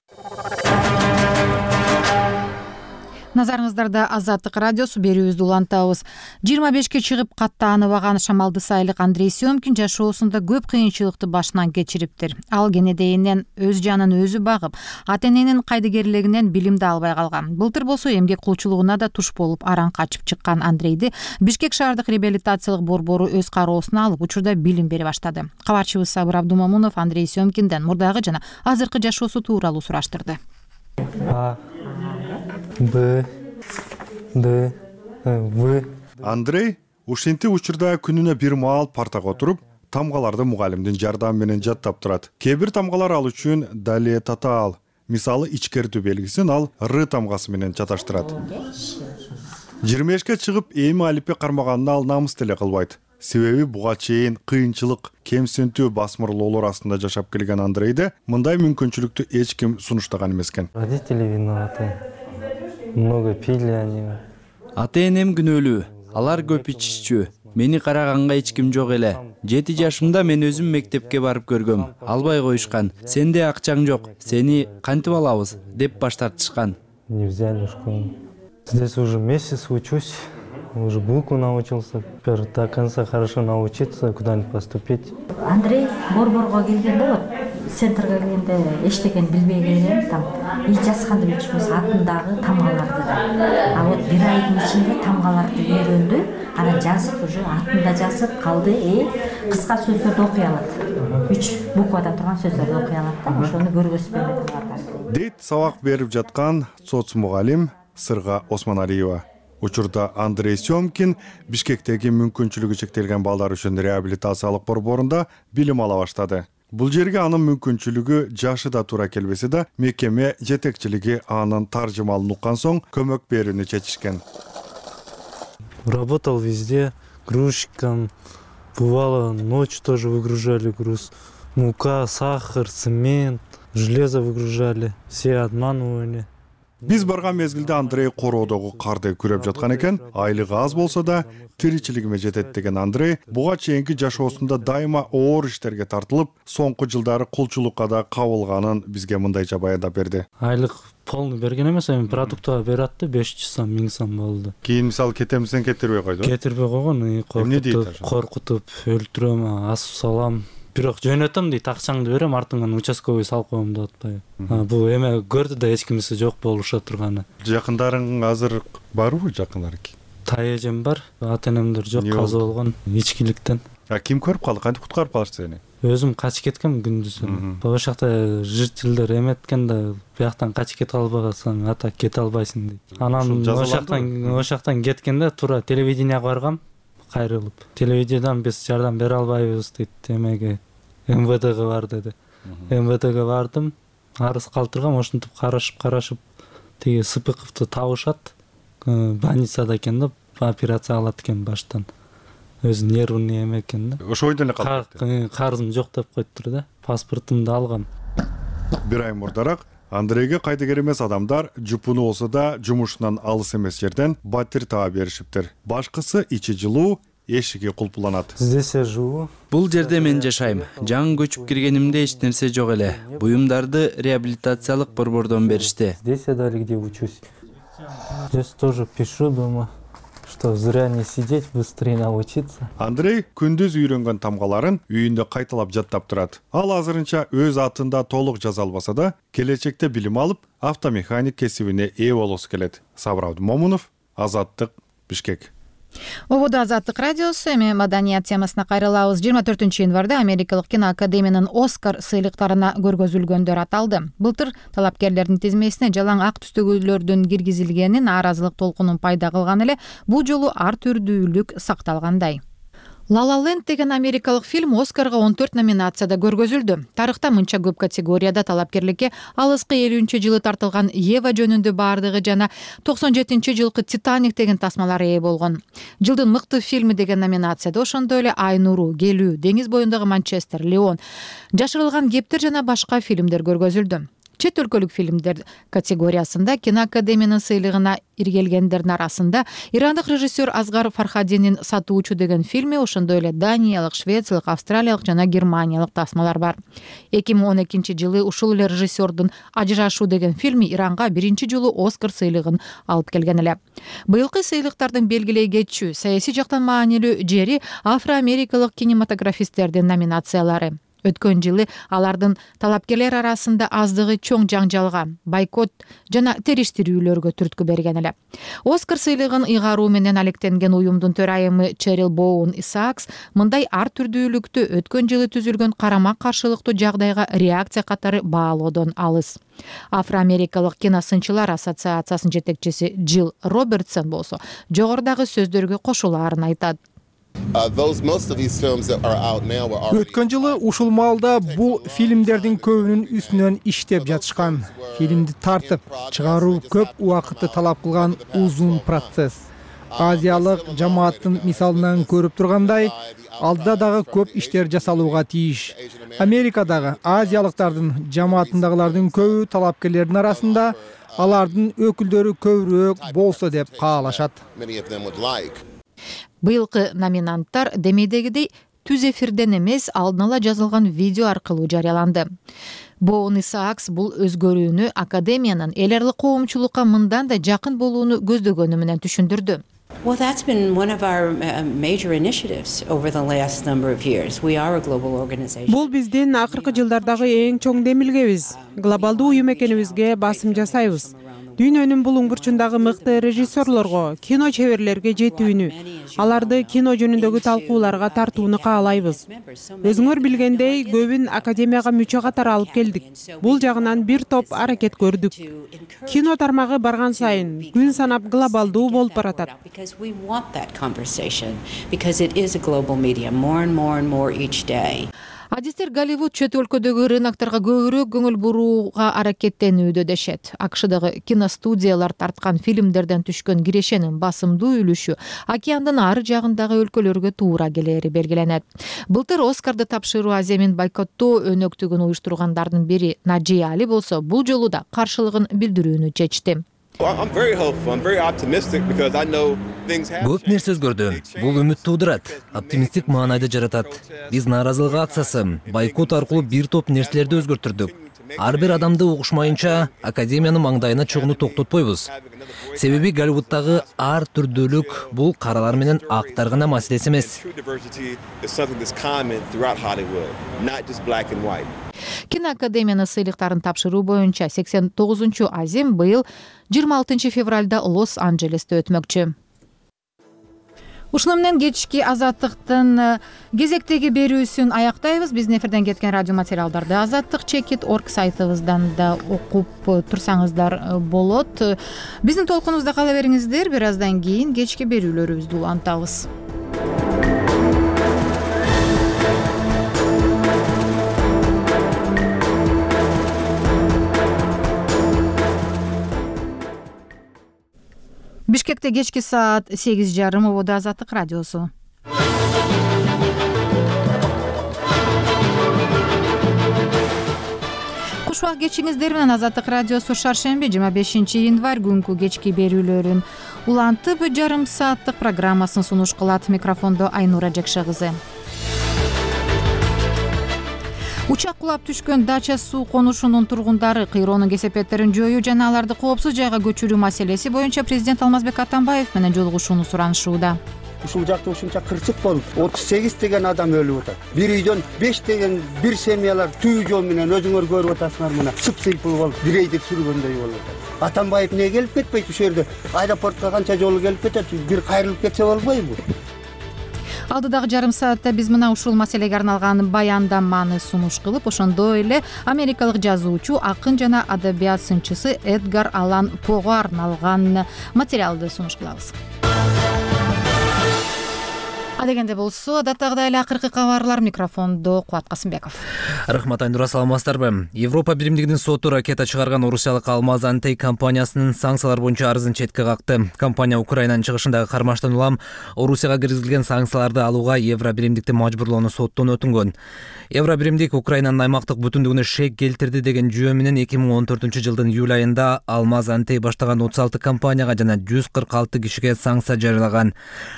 Назарыңыздарда Азаттык радиосу, берүүбүздү улантабыз. 25-ке чыгып каттааныбаган шамалды сайылык Андрей Семкин жашоосунда көп кыйынчылыкты башынан кечириптир. Ал кенедейинен өз жанын өзү багып, ата-эненин кайдыгерлигинен билимди албай калган. Былтыр болсо эмгек кулчулугуна да туш болуп аран качып чыккан Андрейди Бишкек шаардык реабилитациялык борбору өз кароосуна алып, учурда билим бере баштады. Кабарчыбыз Сабыр Абдумамунов Андрей Семкинден мурдагы жана азыркы жашоосу тууралуу сураштырды. Андрей ушинтип учурда күнүнө бир маал партага отуруп, тамгаларды мугалимдин жардамы менен жаттап турат. Кээ бир тамгалар ал үчүн дале татаал. Мисалы ичкертүү белгисин ал Р тамгасы менен чаташтырат. 25-ке чыгып эми алиппе кармаганына ал намыс деле кылбайт. Себеби буга чейин кыйынчылык, кемсинтүү, басмырлоолор астында жашап келген Андрейде мындай мүмкүнчүлүктү эч ким сунуштаган эмес экен. Родители виноваты. Много пили они. Ата-энем күнөөлүү. Алар көп ичишчү. Мени караганга эч ким жок эле. 7 жашымда мен өзүм мектепке барып көргөм. Албай коюшкан. Сенде акчаң жок. Сени кантип алабыз деп баш тартышкан. Не взяли в школу. Здесь уже месяц учусь. Уже букву научился. Теперь до конца хорошо научиться, куда-нибудь поступить. Андрей борборго келген болот. Центрге келгенде эчтекен билбей келген, там ич жазганды билчүмүз, атындагы тамгаларды да. А вот бир айдын ичинде тамгаларды үйрөндү, анан жазып уже атында жазып калды, кыска сөздөрдү окуй алат. 3 буквадан турган сөздөрдү окуй алат да, ошону көргөзүп дейт сабак берип жаткан соц мугалим Сырга Осмоналиева. Учурда Андрей Семкин Бишкектеги мүмкүнчүлүгү чектелген балдар үчүн реабилитациялык борборунда билим ала баштады. Бул жерге анын мүмкүнчүлүгү жашы да туура келбесе да, мекеме жетекчилиги анын таржымалын уккан соң көмөк берүүнү чечишкен. Работал везде, грузчиком. Бывало, ночью тоже выгружали груз. Мука, сахар, цемент, железо выгружали. Все обманывали. Биз барган мезгилде Андрей короодогу карды күрөп жаткан экен. Айлыгы аз болсо да тиричилигиме жетет деген Андрей буга чейинки жашоосунда дайыма оор иштерге тартылып, соңку жылдары кулчулукка да кабылганын бизге мындайча баяндап берди. Айлык полный берген эмес, эми продуктага берет да 500 сом, 1000 сом болду. Кийин мисалы кетемсен кетирбей койду. Кетирбей койгон, коркутуп өлтүрөм, асып салам. Бирок жөнөтөм дейт, акчаңды берем, артыңан участковый салып коем деп атпайбы. Бул эме көрдү да эч кимиси жок болуша турганы. Жакындарың азыр барбы жакындар? таежем бар, ата энемдер жок, каза болгон ичкиликтен. Ким көрүп калды? Кантип куткарып калышты сени? Өзүм качып кеткем күндүзүн. Ошол жакта жырчылдар эметкен да, бияктан качып кете албасаң ата кете албайсың дейт. Анан ошол жактан кеткенде туура телевиденияга баргам, кайрылып. Телевидениядан биз жардам бере албайбыз дейт, эмеге МВДге бар деди. МВДге бардым, арыз калтыргам, ошентип карашып тиги Сыпыковду табышат. Больницада экен да, операция кылат экен баштан. Өзү нервный эме экен да. Ошо бойдон эле калды. Карызым жок деп коюптур да. Паспортумду алгам. Бир ай мурдараак Андрейге кайдыгер эмес адамдар жупуну болсо да жумушунан алыс эмес жерден батир таба беришиптир. Башкысы ичи жылуу, эшиги кулпуланат. Здесь я живу. Бул жерде мен жашайм. Жаңы көчүп киргенимде эч нерсе жок эле. Буюмдарды реабилитациялык борбордон беришти. Здесь я дали где учусь. Здесь тоже пишу дома, что зря не сидеть, быстрее научиться. Андрей күндүз үйрөнгөн тамгаларын үйүндө кайталап жаттап турат. Ал азырынча өз атында толук жаза албаса да, келечекте билим алып, автомеханик кесибине ээ болосу келет. Сабыр Абдумомунов, Азаттык, Бишкек. Ободо Азаттык радиосу. Эми маданият темасына кайрылабыз. 24-январда Америкалык киноакадемиянын Оскар сыйлыктарына көргөзүлгөндөр аталды. Былтыр талапкерлердин тизмесине жалаң ак түстөгүлөрдүн киргизилгени нааразылык толкунун пайда кылган эле, бул жолу ар түрдүүлүк сакталгандай. La La Land деген америкалык фильм Оскарга 14 номинацияда көргөзүлдү. Тарыхта мынча көп категорияда талапкерликке алыскы 50-жылы тартылган Ева жөнүндө бардыгы жана 97-жылкы Титаник деген тасмалар ээ болгон. Жылдын мыкты фильми деген номинацияда ошондой эле Ай нуру, Келүү, Деңиз боюндагы Манчестер, Леон, Жашырылган кептер жана башка фильмдер көргөзүлдү. Чет өлкөлүк фильмдер категориясында киноакадемиянын сыйлыгына иргелгендердин арасында ирандык режиссер Азгар Фархадинин Сатуучу деген фильми, ошондой эле Даниялык, Швециялык, Австралиялык жана Германиялык тасмалар бар. 2012-жылы ушул эле режиссердун Ажырашуу деген фильми Иранга биринчи жолу Оскар сыйлыгын алып келген эле. Быйылкы сыйлыктардын белгилей кетчү, саясий жактан маанилүү жери афро-америкалык кинематографисттердин номинациялары. Өткөн жылы алардын талапкерлер арасында аздыгы чоң жаңжалга, бойкот жана териштирүүлөргө түрткү берген эле. Оскар сыйлыгын ыйгаруу менен алектенген уюмдун төрайымы Черил Боун Исаакс мындай ар түрдүүлүктү өткөн жылы түзүлгөн карама каршылыктуу жагдайга реакция катары баалоодон алыс. Афро-америкалык киносынчылар ассоциациясынын жетекчиси Джилл Робертсон болсо жогорудагы сөздөргө кошулаарын айтат. Өткөн жылы ушул маалда бул фильмдердин көбүнүн үстүнөн иштеп жатышкан. Фильмди тартып чыгаруу көп убакытты талап кылган узун процесс. Азиялык жамааттын мисалынан көрүп тургандай, алдыда дагы көп иштер жасалууга тийиш. Америкадагы азиялыктардын жамаатындагылардын көбү талапкерлердин арасында алардын өкүлдөрү көбүрөөк болсо деп каалашат. Быйылкы номинанттар демейдегидей түз эфирден эмес, алдын ала жазылган видео аркылуу жарыяланды. Боун Исаакс бул өзгөрүүнү академиянын эл аралык коомчулукка мындан да жакын болууну көздөгөнү менен түшүндүрдү. Well, that's been one of our major initiatives over the last number of years. We are a global organization. Бул биздин акыркы жылдардагы эң чоң демилгебиз. Глобалдуу уюм экенибизге басым жасайбыз. Дүйнөнүн булуң бурчундагы мыкты режиссерлорго, кино чеберлерге жетүүнү, аларды кино жөнүндөгү талкууларга тартууну каалайбыз. Өзүңөр билгендей, көбүн академияга мүчө катары алып келдик. Бул жагынан бир топ аракет көрдүк. Кино тармагы барган сайын күн санап глобалдуу болуп баратат. Адистер Голливуд чет өлкөдөгү рынокторго көбүрөөк көңүл бурууга аракеттенүүдө дешет. АКШдагы киностудиялар тарткан фильмдерден түшкөн кирешенин басымдуу үлүшү океандын ары жагындагы өлкөлөргө туура келери белгиленет. Былтыр Оскарды тапшыруу аземин бойкоттоо өнөктүгүн уюштургандардын бири Наджи Али болсо бул жолу да каршылыгын билдирүүнү чечти. Көп нерсе өзгөрдү. Бул үмүт туудурат, оптимисттик маанайды жаратат. Биз нааразылык акциясы, бойкот аркылуу бир топ нерселерди өзгөртүрдүк. Ар бир адамды угушмайынча академиянын маңдайына чогууну токтотпойбуз. Себеби Голливуддагы ар түрдүүлүк бул каралар менен актар гана маселеси эмес. Киноакадемиянын сыйлыктарын тапшыруу боюнча 89-азим быйыл 26 февралда Лос-Анджелесте өтмөкчү. Ушуну менен кечки азаттыктын кезектеги берүүсүн аяктайбыз. Биздин эфирден кеткен радио материалдарды azattik.org сайтыбыздан да окуп турсаңыздар болот. Биздин толкунубузда кала бериңиздер. Бир аздан кийин кечки берүүлөрүбүздү улантабыз. Бишкекте кечки саат 8:30 ободо Азаттык радиосу. Куш убак кечиңиздер менен Азаттык радиосу шаршемби 25 январь күнкү кечки берүүлөрүн улантып, жарым сааттык программасын сунуш кылат. Микрофондо Айнура Жекше кызы. Учак кулап түшкөн Дача суу конушунун тургундары кыйроонун кесепеттерин жоюу жана аларды коопсуз жайга көчүрүү маселеси боюнча президент Алмазбек Атамбаев менен жолугушууну суранышууда. Ушул жакта ушунча кырсык болуп, 38 деген адам өлүп атат. Бир үйдөн 5 деген бир семьялар түү жол менен өзүңөр көрүп атасыңар мына. Сып-сыйпыл болуп, грейдер сүргөндөй болуп атат. Атамбаев эмне келип кетпейт ушул жерде? Аэропортко канча жолу келип кетет, бир кайрылып кетсе болбойбу? Алдыдагы жарым саатта биз мына ушул маселеге арналган баяндаманы сунуш кылып, ошондой эле америкалык жазуучу, акын жана адабият сынчысы Эдгар Аллан Пого арналган материалды сунуш кылабыз. Адегенде болсо, адаттагыдай эле акыркы кабарлар. Микрофондо Кубат Касымбеков. Рахмат, Айнура, саламатсыздарбы? Европа биримдигинин соту ракета чыгарган орусиялык Алмаз Антей компаниясынын санкциялар боюнча арызын четке какты. Компания Украинанын чыгышындагы кармаштан улам Орусияга киргизилген санкцияларды алууга Евро биримдикти мажбурлоону соттон өтүнгөн. Евро биримдик Украинанын аймактык бүтүндүгүнө шек келтирди деген жүйө менен 2014-жылдын июль айында Алмаз Антей баштаган 36 компанияга жана 146 кишиге санкция жарыялаган.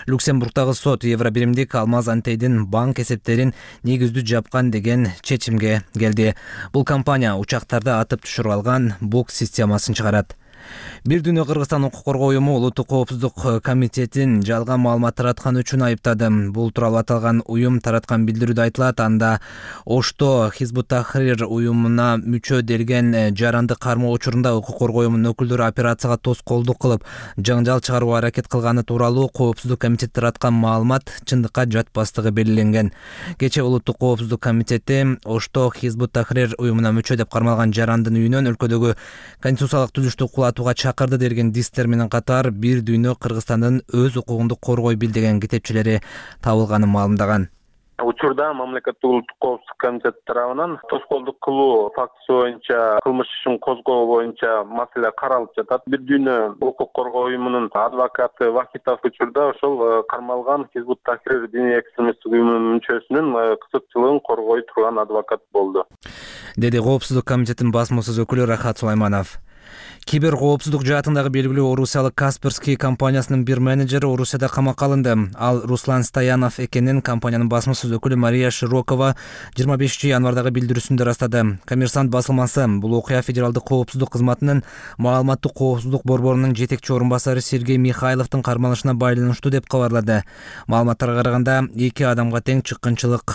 Люксембургдагы сот Евро биримдик Алмаз Антейдин банк эсептерин негиздүү жапкан деген чечимге келди. Бул компания учактарды атып түшүрүп алган БУК системасын чыгарат. Бир дүйнө Кыргызстан укук коргоо уюму Улуттук коопсуздук комитетин жалган маалымат тараткан үчүн айыптады. Бул тууралуу аталган уюм тараткан билдирүүдө айтылат. Анда Ошто Хизбут Тахрир уюмуна мүчө делген жаранды кармоо учурунда укук коргоо уюмунун өкүлдөрү операцияга тоскоолдук кылып, жаңжал чыгарууга аракет кылганы тууралуу коопсуздук комитет тараткан маалымат чындыкка жатпастыгы белгиленген. Кечээ Улуттук коопсуздук комитети Ошто Хизбут Тахрир уюмуна мүчө деп кармалган жарандын үйүнөн өлкөдөгү конституциялык түзүштү кулатууга чакырды деген дистер менен катар бир дүйнө Кыргызстандын өз укугунду коргойбил деген китепчелери табылганын маалымдаган. Учурда мамлекеттик улуттук коопсуздук комитети тарабынан тоскоолдук кылуу фактысы боюнча кылмыш ишин козгоо боюнча маселе каралып жатат. Бир дүйнө укук коргоо уюмунун адвокаты Вахитов учурда ошол кармалган Хизбут Тахрир диний экстремисттик уюмунун мүчөсүнүн кызыкчылыгын коргой турган адвокат болду, деди Коопсуздук комитетинин басмасөз өкүлү Рахат Сулайманов. Кибер коопсуздук жаатындагы белгилүү орусиялык Касперский компаниясынын бир менеджери Орусияда камакка алынды. Ал Руслан Стоянов экенин компаниянын басмасөз өкүлү Мария Широкова 25 январдагы билдирүүсүндө ырастады. Коммерсант басылмасы бул окуя федералдык коопсуздук кызматынын маалыматтык коопсуздук борборунун жетекчи орун басары Сергей Михайловдун кармалышына байланыштуу деп кабарлады. Маалыматтарга караганда 2 адамга тең чыккынчылык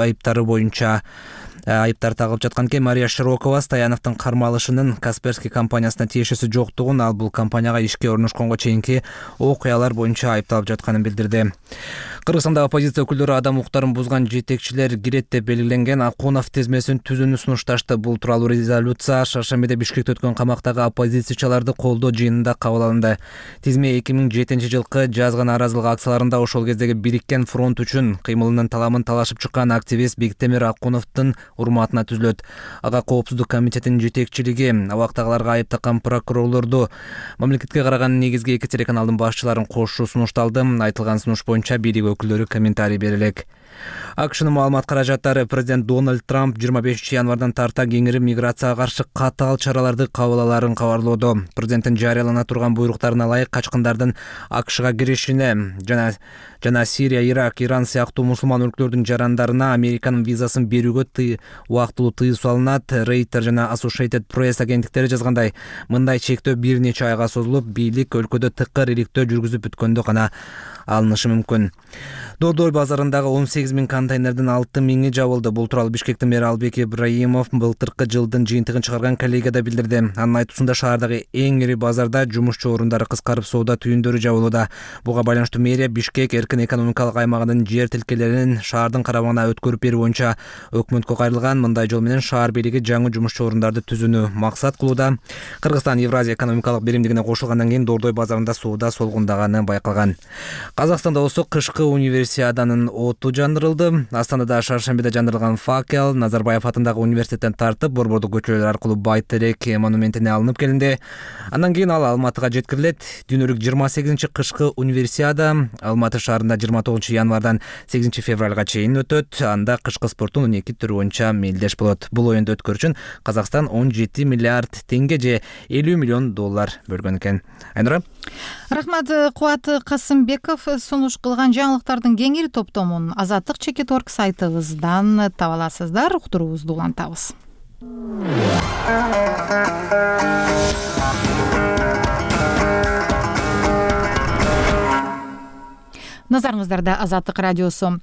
айыптары боюнча айыптар тагылып жаткан экен. Мария Широкова Стояновдун кармалышынын Касперский компаниясына тиешеси жоктугун, ал бул компанияга ишке орношконго чейинки окуялар боюнча айыпталып жатканын билдирди. Кыргызстанда оппозиция өкүлдөрү адам укуктарын бузган жетекчилер кирет деп белгиленген Акунов тизмесин түзүүнү сунушташты. Бул тууралуу резолюция шаршембиде Бишкекте өткөн камактагы оппозициячыларды колдоо жыйынында кабыл алынды. Тизме 2007-жылкы жазгы нааразылык акцияларында ошол кездеги Бириккен фронт үчүн кыймылынын таламын талашып чыккан активист Биктемир Акуновдун урматына түзүлөт. Ага коопсуздук комитетинин жетекчилиги абактагыларга айып таккан прокурорлорду мамлекетке караган негизги 2 телеканалдын башчыларын кошуу сунушталды. Айтылган сунуш боюнча бийлик өкүлдөрү комментарий бере элек. АКШнын маалымат каражаттары президент Дональд Трамп 25 январдан тарта кеңири миграцияга каршы катаал чараларды кабыл аларын кабарлоодо. Президенттин жарыялана турган буйруктарына ылайык качкындардын АКШга киришине жана Сирия, Ирак, Иран сыяктуу мусулман өлкөлөрдүн жарандарына Американын визасын берүүгө убактылуу тыюу салынат. Рейтер жана Associated Press агенттиктери жазгандай, мындай чектөө бир нече айга созулуп, бийлик өлкөдө тыкыр иликтөө жүргүзүп бүткөндө гана алынышы мүмкүн. Дордой базарындагы 18 000 контейнердин 6 000 жабылды. Бул тууралуу Бишкектин мэри Албек Ибраимов былтыркы жылдын жыйынтыгын чыгарган коллегияда билдирди. Анын айтуусунда шаардагы эң ири базарда жумушчу орундары кыскарып, соода түйүндөрү жабылууда. Буга байланыштуу мэрия Бишкек эркин экономикалык аймагынын жер тилкелерин шаардын карамагына өткөрүп берүү боюнча өкмөткө кайрылган. Мындай жол менен шаар бийлиги жаңы жумушчу орундарды түзүүнү максат кылууда. Кыргызстан Евразия экономикалык биримдигине кошулгандан кийин Дордой базарында соода солгундаганы байкалган. Казакстанда болсо кышкы универсиаданын оту жандырылды. Астанада шаршембиде жандырылган факел Назарбаев атындагы университеттен тартып, Борбордук көчөлөр аркылуу Байтерек монументине алынып келинди. Андан кийин ал Алматыга жеткирилет. Дүйнөлүк 28-чи кышкы универсиада Алматы шаарында 29 январдан 8 февралга чейин өтөт. Анда кышкы спорттун 12 түрү боюнча мелдеш болот. Бул оюнду өткөрүү үчүн Казакстан 17 миллиард теңге же $50 миллион бөлгөн экен. Айнура. Рахмат. Кубат Касымбеков сунуш кылган жаңылыктардын кеңири топтомун Азаттык Чекит.org сайтыбыздан таба аласыздар. Уктуруубузду улантабыз. Назарыңыздарда Азаттык радиосу.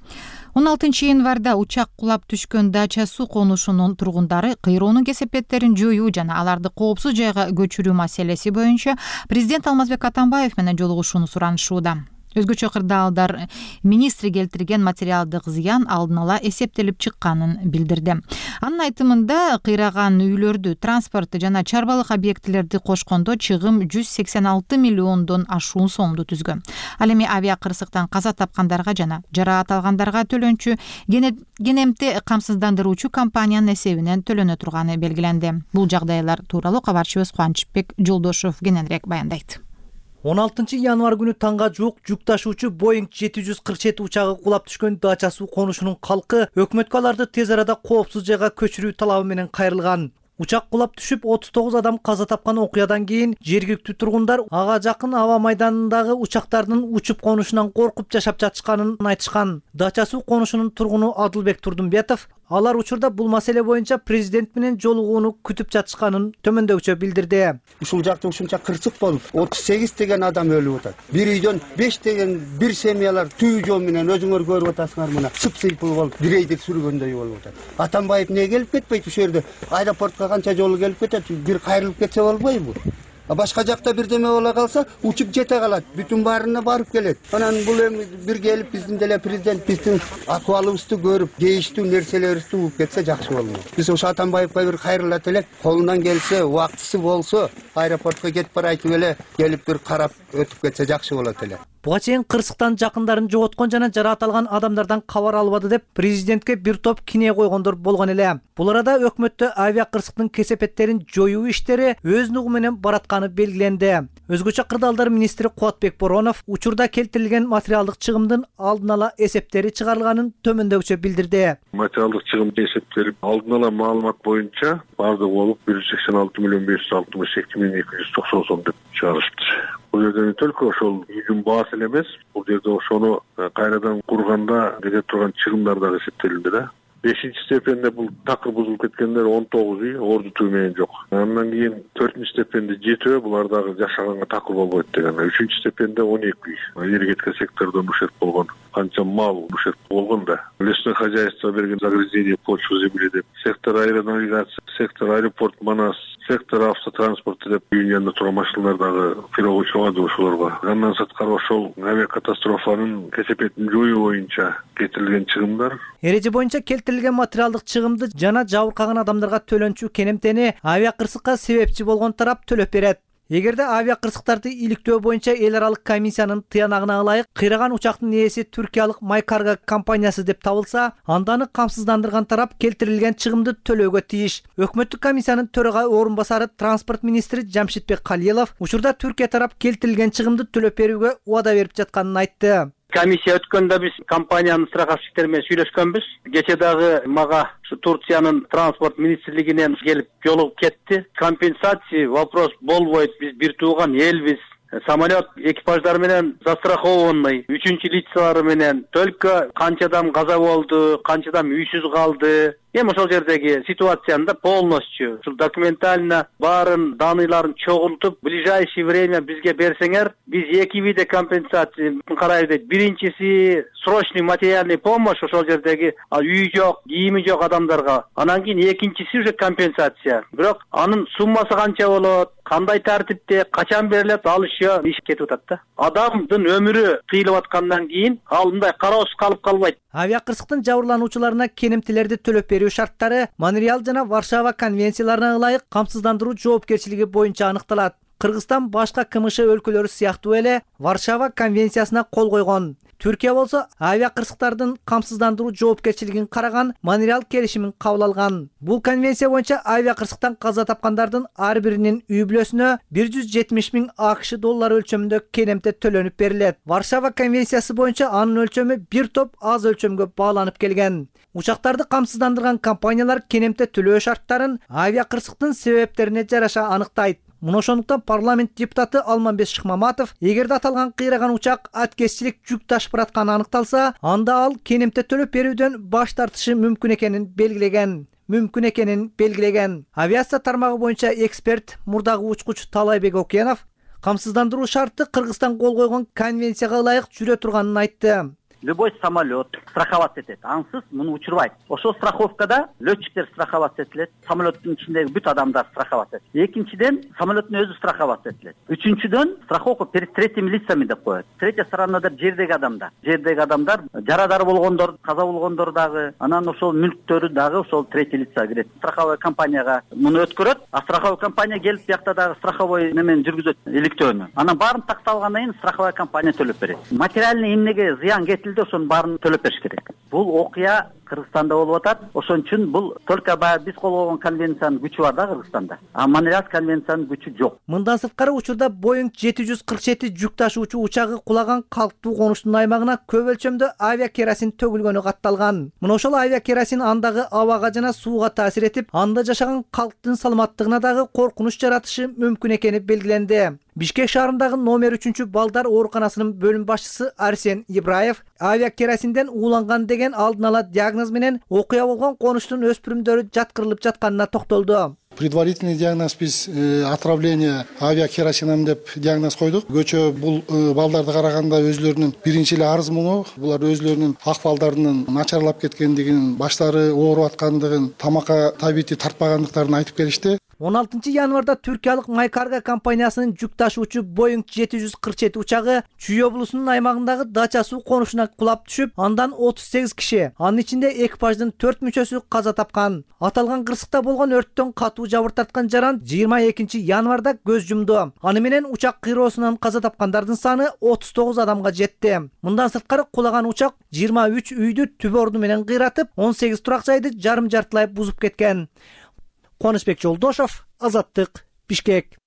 16 январда учак кулап түшкөн Дача суу конушунун тургундары кыйроонун кесепеттерин жоюу жана аларды коопсуз жайга көчүрүү маселеси боюнча президент Алмазбек Атамбаев менен жолугушууну суранышууда. Өзгөчө кырдаалдар министри келтирген материалдык зыян алдын ала эсептелип чыкканын билдирди. Анын айтымында кыйраган үйлөрдү, транспорт жана чарбалык объектилерди кошкондо чыгым 186 миллиондон ашуун сомду түзгөн. Ал эми авиа кырсыктан каза тапкандарга жана жараат алгандарга төлөнчү кенемти камсыздандыруучу компаниянын эсебинен төлөнө турганы белгиленди. Бул жагдайлар тууралуу кабарчыбыз Кубанычбек Жолдошов кененирээк баяндайт. 16 январ күнү таңга жуук жүк ташуучу Boeing 747 учагы кулап түшкөн Дача суу конушунун калкы өкмөткө аларды тез арада коопсуз жайга көчүрүү талабы менен кайрылган. Учак кулап түшүп 39 адам каза тапкан окуядан кийин жергиликтүү тургундар ага жакын аба майданындагы учактардын учуп конушунан коркуп жашап жатышканын айтышкан. Дача суу конушунун тургуну Адылбек Турдунбетов алар учурда бул маселе боюнча президент менен жолугууну күтүп жатышканын төмөндөгүчө билдирди. Ушул жакта ушунча кырсык болуп, 38 деген адам өлүп атат. Бир үйдөн 5 деген бир семьялар түйүү жол менен өзүңөр көрүп атасыңар мына сып-сыйпыл болуп, грейдер сүргөндөй болуп атат. Атамбаев эмне келип кетпейт ушул жерде? Аэропортко канча жолу келип кетет, бир кайрылып кетсе болбойбу? Башка жакта бирдеме бола калса, учуп жете калат, бүтүн баарына барып келет. Анан бул эми бир келип биздин деле президент биздин акыбалыбызды көрүп, кейиштүү нерселерибизди угуп кетсе жакшы болмок. Биз ошо Атамбаевга бир кайрылат элек, колунан келсе, убактысы болсо, аэропортко кетип барайтып эле, келип бир карап өтүп кетсе жакшы болот эле. Буга чейин кырсыктан жакындарын жоготкон жана жараат алган адамдардан кабар албады деп президентке бир топ кине койгондор болгон эле. Бул арада өкмөттө авиа кырсыктын кесепеттерин жоюу иштери өз нугу менен баратканы белгиленди. Өзгөчө кырдаалдар министри Кубатбек Боронов учурда келтирилген материалдык чыгымдын алдын ала эсептери чыгарылганын төмөндөгүчө билдирди. Материалдык чыгым эсептелип, алдын ала маалымат боюнча бардыгы болуп 186 миллион 562 миң 290 сом деп чыгарышты. Бул жерде только ошол үйдүн баасы эле эмес, бул жерде ошону кайрадан курганда кетип турган чыгымдар дагы эсептелинди да. 5-чи степенде бул такыр бузулуп кеткендер 19 үй, орду түү менен жок. Андан кийин 4-чү степенде 7, булар дагы жашаганга такыр болбойт деген. 3-чү степенде 12 үй. Энергетика секторунан ушерт болгон, канча мал ушерт болгон да. Лесное хозяйство берген загрязнение почвы земли деп, сектор аэронавигация, сектор аэропорт Манас, сектор автотранспорта деп үйүнүн янында турган машиналар дагы фирогу чыгады ошолорго. Андан сырткары ошол авиакатастрофанын кесепетин жоюу боюнча кетирилген чыгымдар. Эреже боюнча келтирилген материалдык чыгымды жана жабыркаган адамдарга төлөнчү кенемтени авиа кырсыкка себепчи болгон тарап төлөп берет. Эгерде авиа кырсыктарды иликтөө боюнча эл аралык комиссиянын тыянагына ылайык кыйраган учактын ээси түркиялык Майкарго компаниясы деп табылса, анда аны камсыздандырган тарап келтирилген чыгымды төлөөгө тийиш. Өкмөттүк комиссиянын төрага орун басары транспорт министри Жамшитбек Калиелов учурда Түркия тарап келтирилген чыгымды төлөп берүүгө убада берип жатканын айтты. Комиссия өткөндө биз компаниянын страховщиктери менен сүйлөшкөнбүз. Кече дагы мага Турциянын транспорт министрлигинен келип жолугуп кетти. Компенсация вопрос болбойт. Биз бир тууган элбиз. Самолет экипаждары менен застрахованный, 3-чү лицалары менен только канча адам каза болду, канча адам үйсүз калды. Эми ошол жердеги ситуацияны да полностью ушул документально баарын даныйларын чогултуп, в ближайшее время бизге берсеңер, биз эки виде компенсация карайбыз дейт. Биринчиси срочный материальный помощь ошол жердеги үй жок, кийими жок адамдарга. Анан кийин экинчиси уже компенсация. Бирок анын суммасы канча болот, кандай тартипте, качан берилет, ал иши кетип атат да. Адамдын өмүрү кыйылып аткандан кийин ал мындай кароосуз калып калбайт. Авиа кырсыктын жабырлануучуларына кенемтилерди төлөп берүү шарттары Монреаль жана Варшава конвенцияларына ылайык камсыздандыруу жоопкерчилиги боюнча аныкталат. Кыргызстан башка КМШ өлкөлөрү сыяктуу эле Варшава конвенциясына кол койгон. Түркия болсо авиа кырсыктардын камсыздандыруу жоопкерчилигин караган Монреаль келишимин кабыл алган. Бул конвенция боюнча авиа кырсыктан каза тапкандардын ар биринин үй бүлөсүнө 170 000 АКШ доллары өлчөмүндө кенемте төлөнүп берилет. Варшава конвенциясы боюнча анын өлчөмү бир топ аз өлчөмгө бааланып келген. Учактарды камсыздандырган компаниялар кенемте төлөө шарттарын авиа кырсыктын себептерине жараша аныктайт. Муну ошондуктан парламент депутаты Алманбек Шыкмаматов, эгерде аталган кыйраган учак аткезчилик жүк ташып баратканы аныкталса, анда ал кенемте төлөп берүүдөн баш тартышы мүмкүн экенин белгилеген. Авиация тармагы боюнча эксперт, мурдагы учкуч Талайбек Окенов камсыздандыруу шарты Кыргызстан кол койгон конвенцияга ылайык жүрө турганын айтты. Любой самолет страховаться этет. Ансыз муну учурбайт. Ошол страховкада летчиктер страховаться этилет, самолеттин ичиндеги бүт адамдар страховаться этилет. Экинчиден самолеттин өзү страховаться этилет. Үчүнчүдөн страховка перед третьими лицами деп коет. Третья сторонада жердеги адамдар. Жердеги адамдар жарадар болгондор, каза болгондор дагы, анан ошол мүлктөрү дагы ошол третий лица кирет. Страховой компанияга муну өткөрөт, а страховой компания келип биякта дагы страховой немен жүргүзөт, иликтөөнү. Анан баарын такталгандан кийин страховая компания төлөп берет. Материальный эмнеге зыян кетилди, ошонун баарын төлөп бериш керек. Бул окуя Кыргызстанда болуп атат. Ошон үчүн бул только баягы биз кол койгон конвенциянын күчү бар да Кыргызстанда. А Монреаль конвенциянын күчү жок. Мындан сырткары учурда Boeing 747 жүк ташуучу учагы кулаган калктуу конуштун аймагына көп өлчөмдө авиакеросин төгүлгөнү катталган. Мына ошол авиакеросин андагы абага жана сууга таасир этип, анда жашаган калктын саламаттыгына дагы коркунуч жаратышы мүмкүн экени белгиленди. Бишкек шаарындагы номер 3 балдар ооруканасынын бөлүм башчысы Арсен Ибраев авиакеросинден ууланган деген алдын ала диагноз менен окуя болгон конуштун өспүрүмдөрү жаткырылып жатканына токтолду. Предварительный диагноз биз отравление авиакеросином деп диагноз койдук. Көчө бул балдарды караганда өзлөрүнүн биринчи эле арыз муну, булар өзлөрүнүн акыбалдарынын начарлап кеткендигин, баштары ооруп аткандыгын, тамакка табити тартпагандыктарын айтып келишти. 16 январда Түркиялык Майкарго компаниясынын жүк ташуучу Boeing 747 учагы Чүй облусунун аймагындагы Дача суу конушуна кулап түшүп, андан 38 киши, анын ичинде экипаждын 4 мүчөсү каза тапкан. Аталган кырсыкта болгон өрттөн катуу жабыр тарткан жаран 22 январда көз жумду. Аны менен учак кыйроосунан каза тапкандардын саны 39 адамга жетти. Мындан сырткары кулаган учак 23 үйдү түбө орду менен кыйратып, 18 турак жайды жарым жартылай бузуп кеткен. Кубанычбек Жолдошов, Азаттык, Бишкек.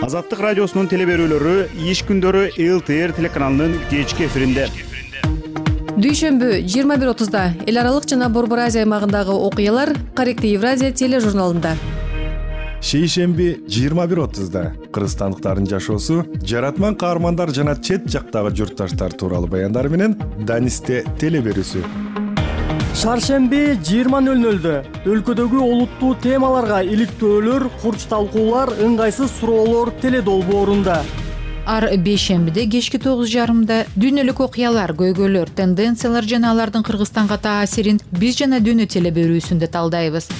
Азаттык радиосунун телеберүүлөрү иш күндөрү ЛТР телеканалынын кечки эфиринде. Дүйшөмбү 21:30 эл аралык жана Борбор Азия аймагындагы окуялар Корректив Евразия тележурналында. Шейшемби 21:30 кыргызстандыктардын жашоосу, жаратман каармандар жана чет жактагы журтташтар тууралуу баяндар менен Данисте телеберүүсү. Шаршемби 20:00 өлкөдөгү олуттуу темаларга иликтөөлөр, курч талкуулар, ыңгайсыз суроолор теледолбоорунда. Ар бейшембиде кечки 9:30 дүйнөлүк окуялар, көйгөйлөр, тенденциялар жана алардын Кыргызстанга таасирин биз жана дүйнө телеберүүсүндө талдайбыз.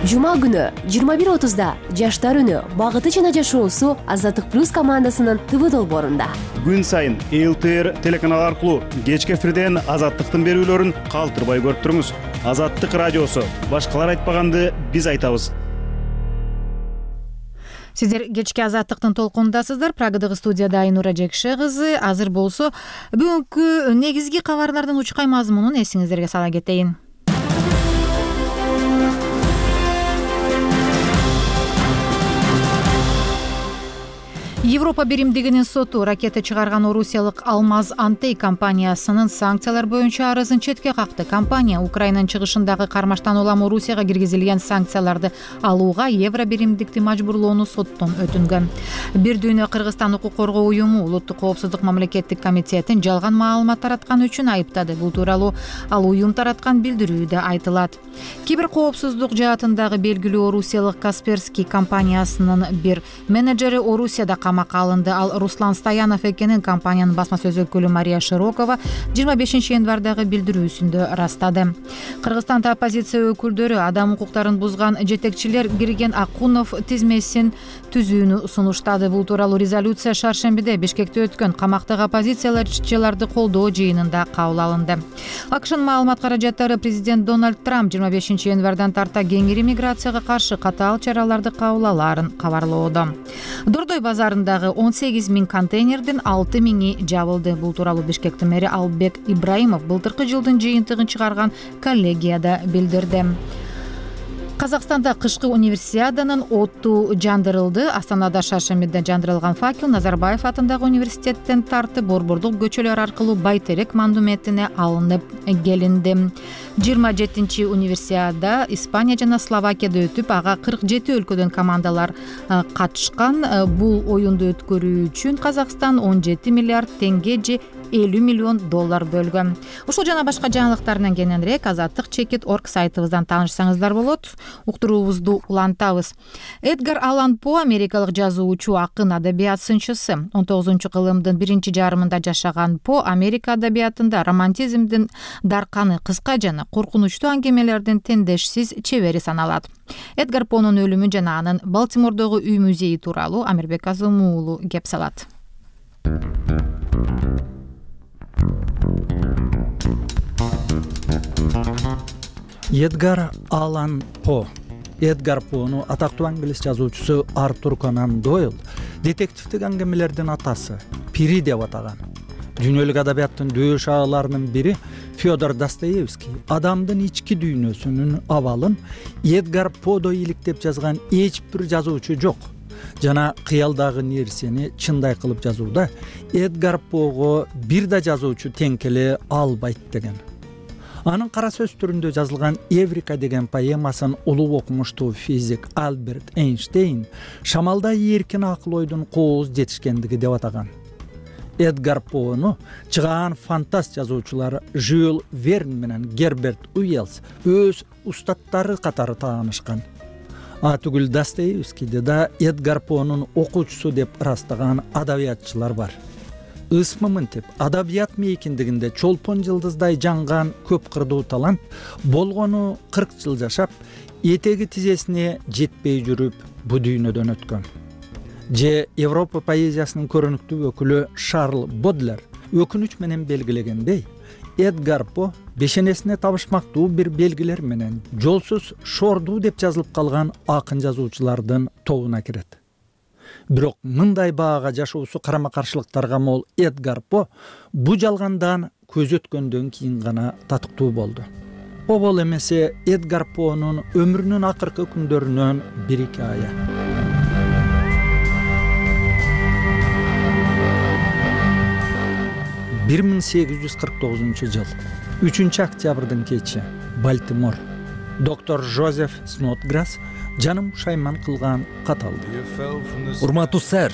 Жума күнү 21:30 жаштар үнү, багыты жана жашоосу Азаттык плюс командасынын ТВ долбоорунда. Күн сайын ЛТР телеканалы аркылуу кечки эфирден Азаттыктын берүүлөрүн калтырбай көрүп туруңуз. Азаттык радиосу. Башкалар айтпаганды биз айтабыз. Сиздер кечки Азаттыктын толкунундасыздар. Прагадагы студияда Айнура Жекше кызы. Азыр болсо бүгүнкү негизги кабарлардын учкай мазмунун эсиңиздерге сала кетейин. Европа биримдигинин соту ракета чыгарган орусиялык Алмаз Антей компаниясынын санкциялар боюнча арызын четке какты. Компания Украинанын чыгышындагы кармаштан улам Орусияга киргизилген санкцияларды алууга евро биримдикти мажбурлоону соттон өтүнгөн. Бир дүйнө Кыргызстан укук коргоо уюму Улуттук коопсуздук мамлекеттик комитетин жалган маалымат тараткан үчүн айыптады. Бул тууралуу ал уюм тараткан билдирүүдө айтылат. Кибер коопсуздук жаатындагы белгилүү орусиялык Касперский компаниясынын бир менеджери Орусияда камакка алынды. Ал Руслан Стоянов экенин компаниянын басма сөз өкүлү Мария Широкова 25 январдагы билдирүүсүндө ырастады. Кыргызстанда оппозиция өкүлдөрү адам укуктарын бузган жетекчилер кирген Акунов тизмесин түзүүнү сунуштады. Бул тууралуу резолюция шаршембиде Бишкекте өткөн камактагы оппозицияларды колдоо жыйынында кабыл алынды. АКШнын маалымат каражаттары президент Дональд Трамп 25 январдан тарта кеңири миграцияга каршы катаал чараларды кабыл алаарын кабарлоодо. Дордой базарындагы 18 000 контейнердин 6 000 жабылды. Бул тууралуу Бишкектин мэри Албек Ибраимов былтыркы жылдын жыйынтыгын чыгарган коллегияда билдирди. Казакстанда кышкы универсиаданын оту жандырылды. Астанада шаршембиде жандырылган факел Назарбаев атындагы университеттен тартып Борбордук көчөлөр аркылуу Байтерек монументине алынып келинди. 27 универсиада Испания жана Словакияда өтүп, ага 47 өлкөдөн командалар катышкан. Бул оюнду өткөрүү үчүн Казакстан 17 миллиард теңге же $50 миллион бөлгөн. Ушул жана башка жаңылыктардан кененирээк azattik.org сайтыбыздан таанышсаңыздар болот. Уктуруубузду улантабыз. Эдгар Аллан По америкалык жазуучу, акын, адабият сынчысы. 19-кылымдын биринчи жарымында жашаган По Америка адабиятында романтизмдин дарканы, кыска жана коркунучтуу аңгемелердин тендешсиз чебери саналат. Эдгар Понун өлүмү жана анын Балтимордогу үй музейи тууралуу Амирбек Азымуу уулу кеп салат. Эдгар Аллан По. Эдгар Пону атактуу англис жазуучусу Артур Конан Дойл детективдик аңгемелердин атасы, пири деп атаган. Дүйнөлүк адабияттын дөй шааларынын бири Федор Достоевский адамдын ички дүйнөсүнүн абалын Эдгар Подой иликтеп жазган эч бир жазуучу жок. Жана кыялдагы нерсени чындай кылып жазууда Эдгар Пого бир да жазуучу тең келе албайт деген. Анын кара сөз түрүндө жазылган Эврика деген поэмасын улуу окумуштуу физик Альберт Эйнштейн шамалда эркин акыл ойдун кооз жетишкендиги деп атаган. Эдгар Пону чыгаан фантаст жазуучулар Жюль Верн менен Герберт Уэллс өз устаттары катары таанышкан. Түгүл Достоевскийде да Эдгар Понун окуучусу деп ырастаган адабиятчылар бар. Ысмы мынтип адабият мейкиндигинде чолпон жылдыздай жанган көп кырдуу талант болгону 40 жыл жашап, этеги тизесине жетпей жүрүп бу дүйнөдөн өткөн. Же Европа поэзиясынын көрүнүктүү өкүлү Шарл Бодлер өкүнүч менен белгилегендей, Эдгар По бешенесине табышмактуу бир белгилер менен жолсуз шордуу деп жазылып калган акын жазуучулардын тобуна кирет. Бирок мындай баага жашоосу карама-каршылыктарга мол Эдгар По бу жалгандан көз өткөндөн кийин гана татыктуу болду. Обол эмесе Эдгар Понун өмүрүнүн акыркы күндөрүнөн бир хикая. 1849 жыл 3 октябрдын кечи Балтимор. Доктор Жозеф Снотграсс жаным шайман кылган кат алды. Урматтуу сэр,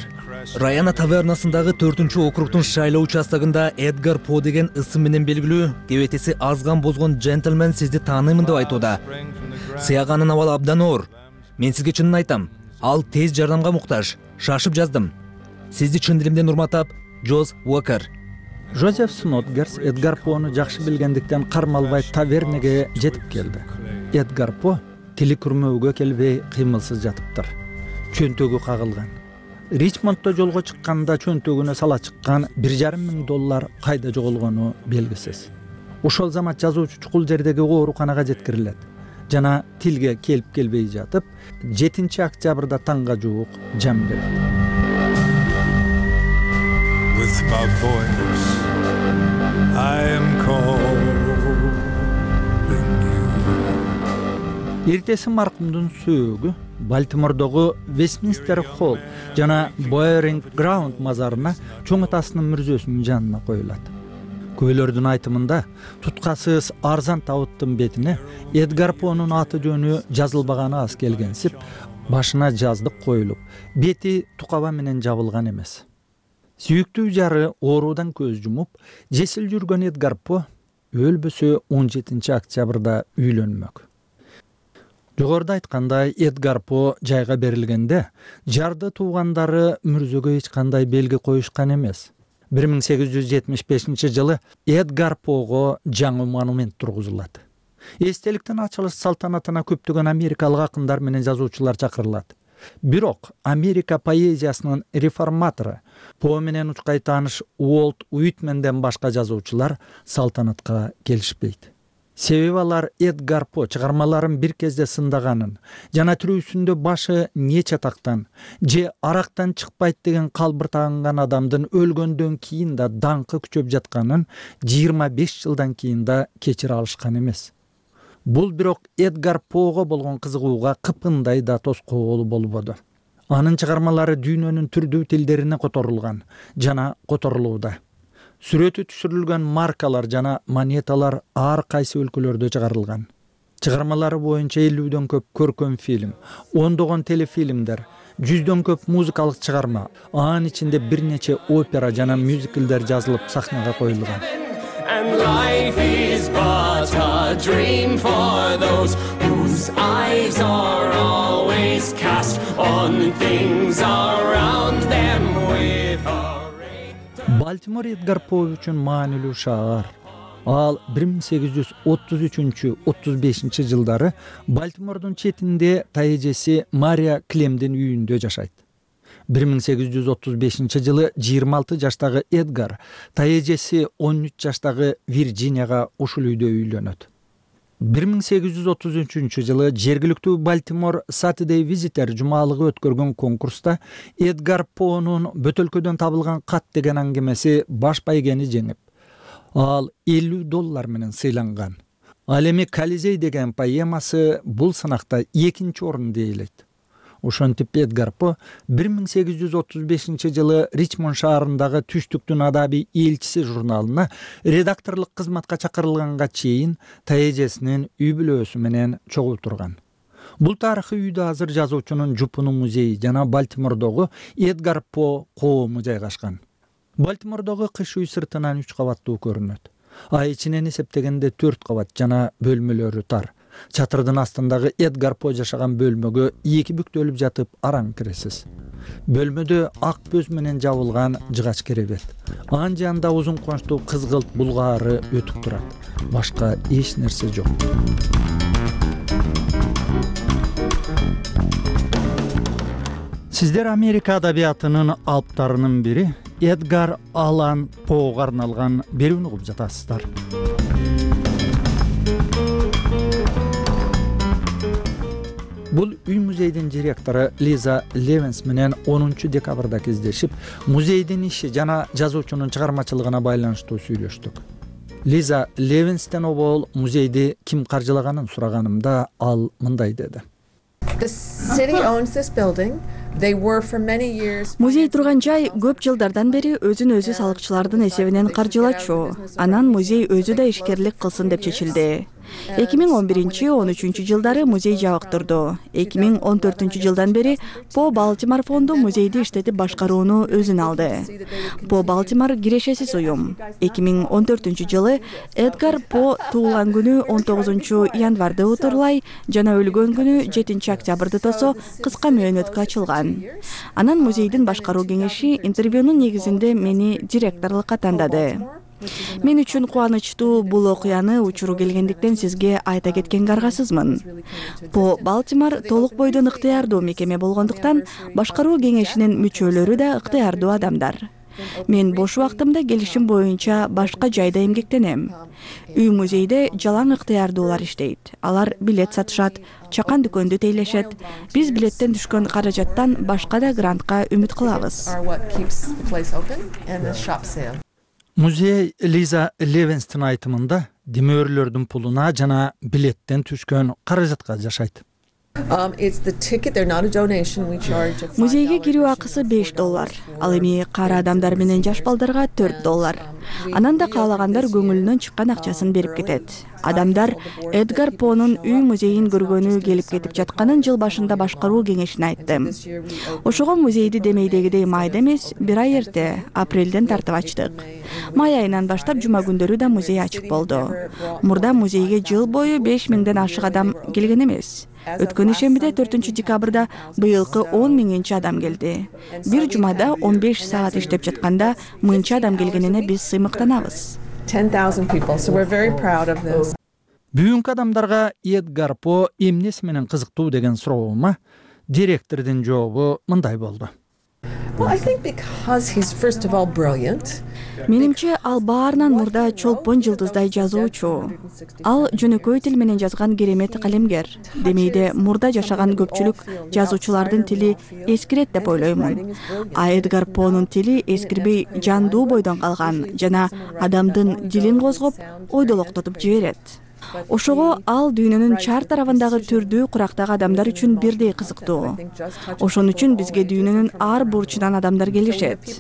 Раяна тавернасындагы 4-округдун шайлоо участогунда Эдгар По деген ысым менен белгилүү кебетеси азган бозгон джентльмен сизди тааныймын деп айтууда. Сыяганын абалы абдан оор. Мен сизге чынын айтам, ал тез жардамга муктаж. Шашып жаздым. Сизди чын дилимден урматтап, Джоз Уокер. Жозеф Снотграсс Эдгар Пону жакшы билгендиктен кармалбай тавернеге жетип келди. Эдгар По тили күрмөөгө келбей кыймылсыз жатыптыр. Чөнтөгү кагылган. Ричмонддо жолго чыкканда чөнтөгүнө сала чыккан $1,500 кайда жоголгону белгисиз. Ошол замат жазуучу чукул жердеги ооруканага жеткирилет. Жана тилге келип келбей жатып, 7 октябрда таңга жуук жан берет. With my voice, I am calling you. Эртеси маркумдун сөөгү Балтимордогу Вестминстер холл жана Боеринг Граунд мазарына чоң атасынын мүрзөсүнүн жанына коюлат. Күбөлөрдүн айтымында туткасыз арзан табыттын бетине Эдгар Понун аты жөнү жазылбаганы аз келгенсип, башына жаздык коюлуп, бети тукаба менен жабылган эмес. Сүйүктүү жары оорудан көз жумуп, жесил жүргөн Эдгар По өлбөсө 17 октябрда үйлөнмөк. Жогоруда айткандай, Эдгар По жайга берилгенде жарды туугандары мүрзөгө эч кандай белги коюшкан эмес. 1875 жылы Эдгар Пого жаңы монумент тургузулат. Эстеликтин ачылыш салтанатына көптөгөн америкалык акындар менен жазуучулар чакырылат. Бирок Америка поэзиясынын реформатору По менен учкай тааныш Уолт Уитменден башка жазуучулар салтанатка келишпейт. Себеби алар Эдгар По чыгармаларын бир кезде сындаганын жана тирүүсүндө башы не чатактан же арактан чыкпайт деген калбыр тагынган адамдын өлгөндөн кийин да даңкы күчөп жатканын 25 жылдан кийин да кечире алышкан эмес. Бул бирок Эдгар Пого болгон кызыгууга кыпындай да тоскоолу болбоду. Анын чыгармалары дүйнөнүн түрдүү тилдерине которулган жана которулууда. Сүрөтү түшүрүлгөн маркалар жана монеталар ар кайсы өлкөлөрдө чыгарылган. Чыгармалары боюнча 50дөн көп көркөм фильм, 10догон телефилмдер, 100дөн көп музыкалык чыгарма, анын ичинде бир нече опера жана мюзиклдер жазылып сахнага коюлган. And life is but a dream for those whose eyes are always cast on things around them with a Балтимор Эдгар По үчүн маанилүү шаар. Ал 1833-35 жылдары Балтимордун четинде тайэжеси Мария Клемдин үйүндө жашайт. 1835 жылы 26 жаштагы Эдгар тайэжеси 13 жаштагы Вирджинияга ушул үйдө үйлөнөт. 1833 жылы жергиликтүү Балтимор Saturday Visitor жумалыгы өткөргөн конкурста Эдгар Понун бөтөлкөдөн табылган кат деген аңгемеси баш байгени жеңип, ал $50 менен сыйланган. Ал эми Колизей деген поэмасы бул сынакта 2-чи орунду ээлейт. Ошентип Эдгар По 1835 жылы Ричмонд шаарындагы Түштүктүн адабий элчиси журналына редакторлук кызматка чакырылганга чейин тайэжесинин үй бүлөсү менен чогуу турган. Бул тарыхый үйдө азыр жазуучунун жупуну музейи жана Балтимордогу Эдгар По коому жайгашкан. Балтимордогу кыш үй сыртынан 3 кабаттуу көрүнөт. Ай ичинен эсептегенде 4 кабат жана бөлмөлөрү тар. Чатырдын астындагы Эдгар По жашаган бөлмөгө 2 бүктөлүп жатып араң киресиз. Бөлмөдө ак бөз менен жабылган жыгач керебет. Анын жанында узун кончтуу кызгылт булгаары өтүп турат. Башка эч нерсе жок. Сиздер Америка адабиятынын алыптарынын бири Эдгар Аллан Поого арналган берүүнү угуп жатасыздар. Бул үй музейдин директору Лиза Левенс менен 10 декабрда кездешип, музейдин иши жана жазуучунун чыгармачылыгына байланыштуу сүйлөштүк. Лиза Левенстен обол музейди ким каржылаганын сураганымда ал мындай деди. Музей турган жай көп жылдардан бери өзүн өзү салыкчылардын эсебинен каржылачу. Анан музей өзү да ишкерлик кылсын деп чечилди. 2011-13 жылдары музей жабык турду. 2014 жылдан бери По Балтимор фонду музейди иштетип башкарууну өзүнө алды. По Балтимор кирешесиз уюм. 2014 жылы Эдгар По туулган күнү 19 январды утурлай жана өлгөн күнү 7 октябрды тосо кыска мөөнөткө ачылган. Анан музейдин башкаруу кеңеши интервьюнун негизинде мени директорлукка тандады. Мен үчүн кубанычтуу бул окуяны учуру келгендиктен сизге айта кеткенге аргасызмын. По Балтимор толук бойдон ыктыярдуу мекеме болгондуктан башкаруу кеңешинин мүчөлөрү да ыктыярдуу адамдар. Мен бош убактымда келишим боюнча башка жайда эмгектенем. Үй музейде жалаң ыктыярдуулар иштейт. Алар билет сатышат, чакан дүкөндү тейлешет. Биз билеттен түшкөн каражаттан башка да грантка үмүт кылабыз. Музей Лиза Левенстин айтымында демөрлөрдүн пулуна жана билеттен түшкөн каражатка жашайт. Музейге кирүү акысы $5. Ал эми кара адамдар менен жаш балдарга $4. Анан да каалагандар көңүлүнөн чыккан акчасын берип кетет. Адамдар Эдгар Понун үй музейин көргөнү келип кетип жатканын жыл башында башкаруу кеңешине айтты. Ошого музейди демейдегидей майда эмес, бир ай эрте, апрелден тартып ачтык. Май айынан баштап жума күндөрү да музей ачык болду. Мурда музейге жыл бою 5000ден ашык адам келген эмес. Өткөн ишембиде 4 декабрда быйылкы 10.000 адам келди. Бир жумада 15 саат иштеп жатканда мынча адам келгенине биз сыймыктанабыз. 10,000 people, so we're very proud of this. Бүгүнкү адамдарга Эдгар По эмнеси менен кызыктуу деген суроома директордун жообу мындай болду. Well, I think because he's first of all brilliant. Менимче ал баарынан мурда чолпон жылдыздай жазуучу. Ал жөнөкөй тил менен жазган керемет калемгер. Демейде мурда жашаган көпчүлүк жазуучулардын тили эскирет деп ойлоймун. А Эдгар Понун тили эскирбей жандуу бойдон калган жана адамдын дилин козгоп, ойдолоктотуп жиберет. Ошого ал дүйнөнүн чар тарабындагы түрдүү курактагы адамдар үчүн бирдей кызыктуу. Ошон үчүн бизге дүйнөнүн ар бурчунан адамдар келишет.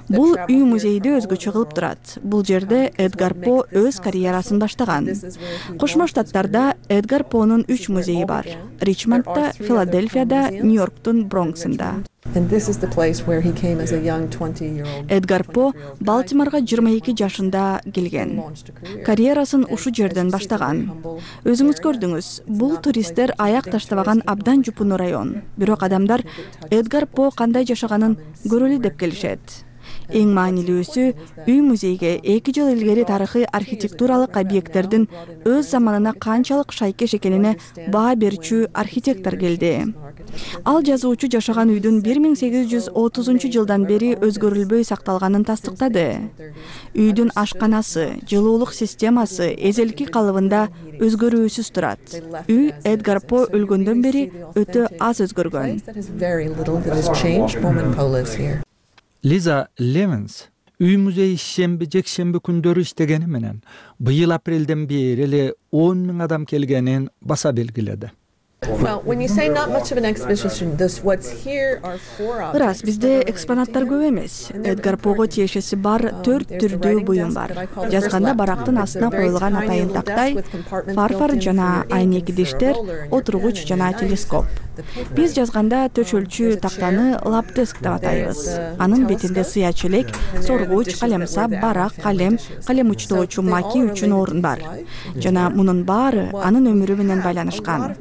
Бул үй музейди өзгөчө кылып турат. Бул жерде Эдгар По өз карьерасын баштаган. Кошмо Штаттарда Эдгар Понун 3 музейи бар. Ричмондда, Филадельфияда, Нью-Йорктун Бронксунда. And this is the place where he came as a young 20-year-old. Эдгар По Балтиморго 22 жашында келген. Карьерасын ушу жерден баштаган. Өзүңүз көрдүңүз, бул туристтер аяк таштабаган абдан жупуну район. Бирок адамдар Эдгар По кандай жашаганын көрөлү деп келишет. Эң маанилүүсү, үй музейге 2 жыл илгери тарыхый архитектуралык объекттердин өз заманына канчалык шайкеш экенине баа берчү архитектор келди. Ал жазуучу жашаган үйдүн 1830 жылдан бери өзгөрүлбөй сакталганын тастыктады. Үйдүн ашканасы, жылуулук системасы эзелки калыбында өзгөрүүсүз турат. Үй Эдгар По өлгөндөн бери өтө аз өзгөргөн. Лиза Левенс үй музей шемби жекшемби күндөрү иштегени менен быйыл апрелден бери эле 10.000 адам келгенин баса белгиледи. Ырас, бизде экспонаттар көп эмес. Эдгар Пого тиешеси бар 4 түрдүү буюм бар. Жазганда барактын астына коюлган атайын тактай, фарфор жана айнек идиштер, отургуч жана телескоп. Биз жазганда төшөлчү тактаны лаптеск деп атайбыз. Анын бетинде сыя челек, соргуч, калемсап, барак, калем, калем учтоочу маки үчүн орун бар. Жана мунун баары анын өмүрү менен байланышкан.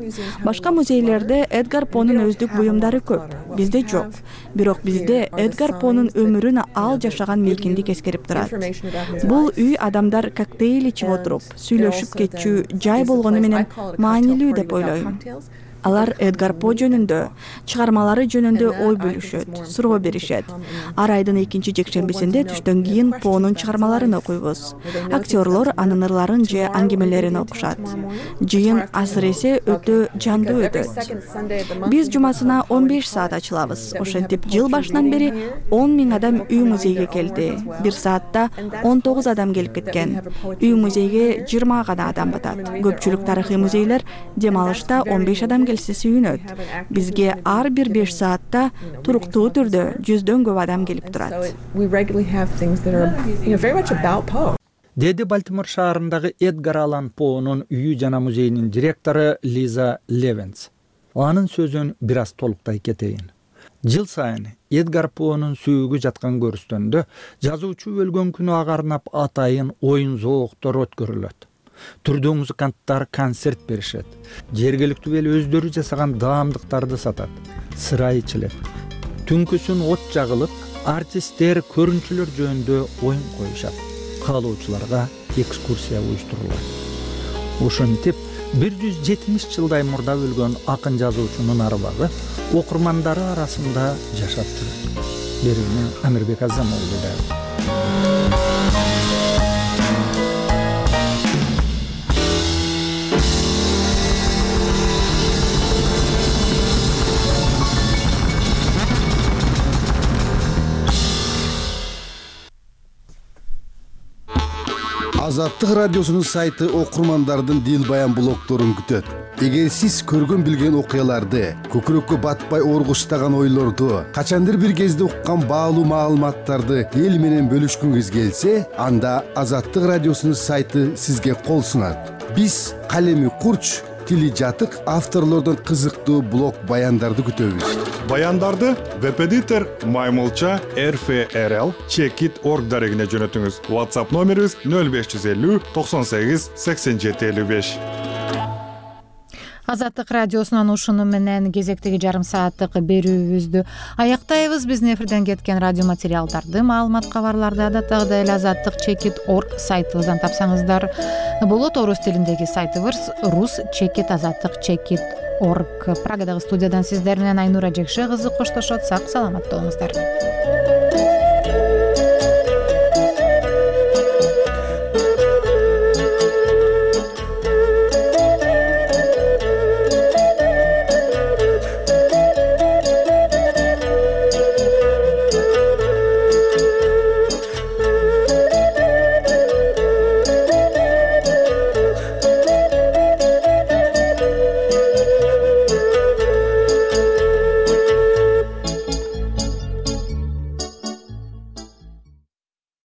Башка музейлерде Эдгар Понун өздүк буюмдары көп, бизде жок. Бирок бизде Эдгар Понун өмүрүн ал жашаган мейкиндик эскерип турат. Бул үй адамдар коктейль ичип отуруп, сүйлөшүп кетчү жай болгону менен маанилүү деп ойлойм. Алар Эдгар По жөнүндө, чыгармалары жөнүндө ой бөлүшөт, суроо беришет. Ар айдын 2 жекшембисинде түштөн кийин Понун чыгармаларын окуйбуз. Актерлор анын ырларын же аңгемелерин окушат. Жыйын асыресе өтө жандуу өтөт. Биз жумасына 15 саат ачылабыз. Ошентип жыл башынан бери 10.000 адам үй музейге келди. Бир саатта 19 адам келип кеткен. Үй музейге 20 гана адам батат. Көпчүлүк тарыхый музейлер дем алышта 15 адам сүйүнөт. Бизге ар бир 5 саатта туруктуу түрдө 100дөн көп адам келип турат. Деди Балтимор шаарындагы Эдгар Аллан Поунун үйү жана музейинин директору Лиза Левенс. Анын сөзүн бир аз толуктай кетейин. Жыл сайын Эдгар Поунун сүйүгү жаткан көрүстөндө жазуучу өлгөн күнү ага арнап атайын оюн зооктор өткөрүлөт. Түрдүү музыканттар концерт беришет. Жергиликтүү эл өздөрү жасаган даамдыктарды сатат. Сыра ичилет. Түнкүсүн от жагылып, артисттер көрүнчүлөр жөнүндө оюн коюшат. Каалоочуларга экскурсия уюштурулат. Ошентип 170 жылдай мурда өлгөн акын жазуучунун арбагы окурмандары арасында жашап жүрөт. Берүүнү Амирбек Азамоğlu да. Азаттык радиосунун сайты окурмандардын дил баян блогдорун күтөт. Эгер сиз көргөн билген окуяларды, көкүрөккө батпай оргуштаган ойлорду, качандыр бир кезде уккан баалуу маалыматтарды эл менен бөлүшкүңүз келсе, анда Азаттык радиосунун сайты сизге кол сунат. Биз калеми курч, тили жатык авторлордун кызыктуу блог баяндарды күтөбүз. Баяндарды веб-эдитор Маймылча RFRL Checkit.org дарегине жөнөтүңүз. WhatsApp номерибиз 0550 98 87 55. Азаттык радиосунун ушуну менен кезектеги жарым сааттык берүүбүздү аяктайбыз. Биздин эфирден кеткен радио материалдарды, маалымат кабарларды адаттагыдай эле Азаттык Checkit.org сайтыбыздан тапсаңыздар болот. Орус тилиндеги сайтыбыз Рус Checkit Азаттык Checkit.org. Прагадагы студиядан сиздер менен Айнура Жекше кызы коштошот. Сак саламатта болуңуздар.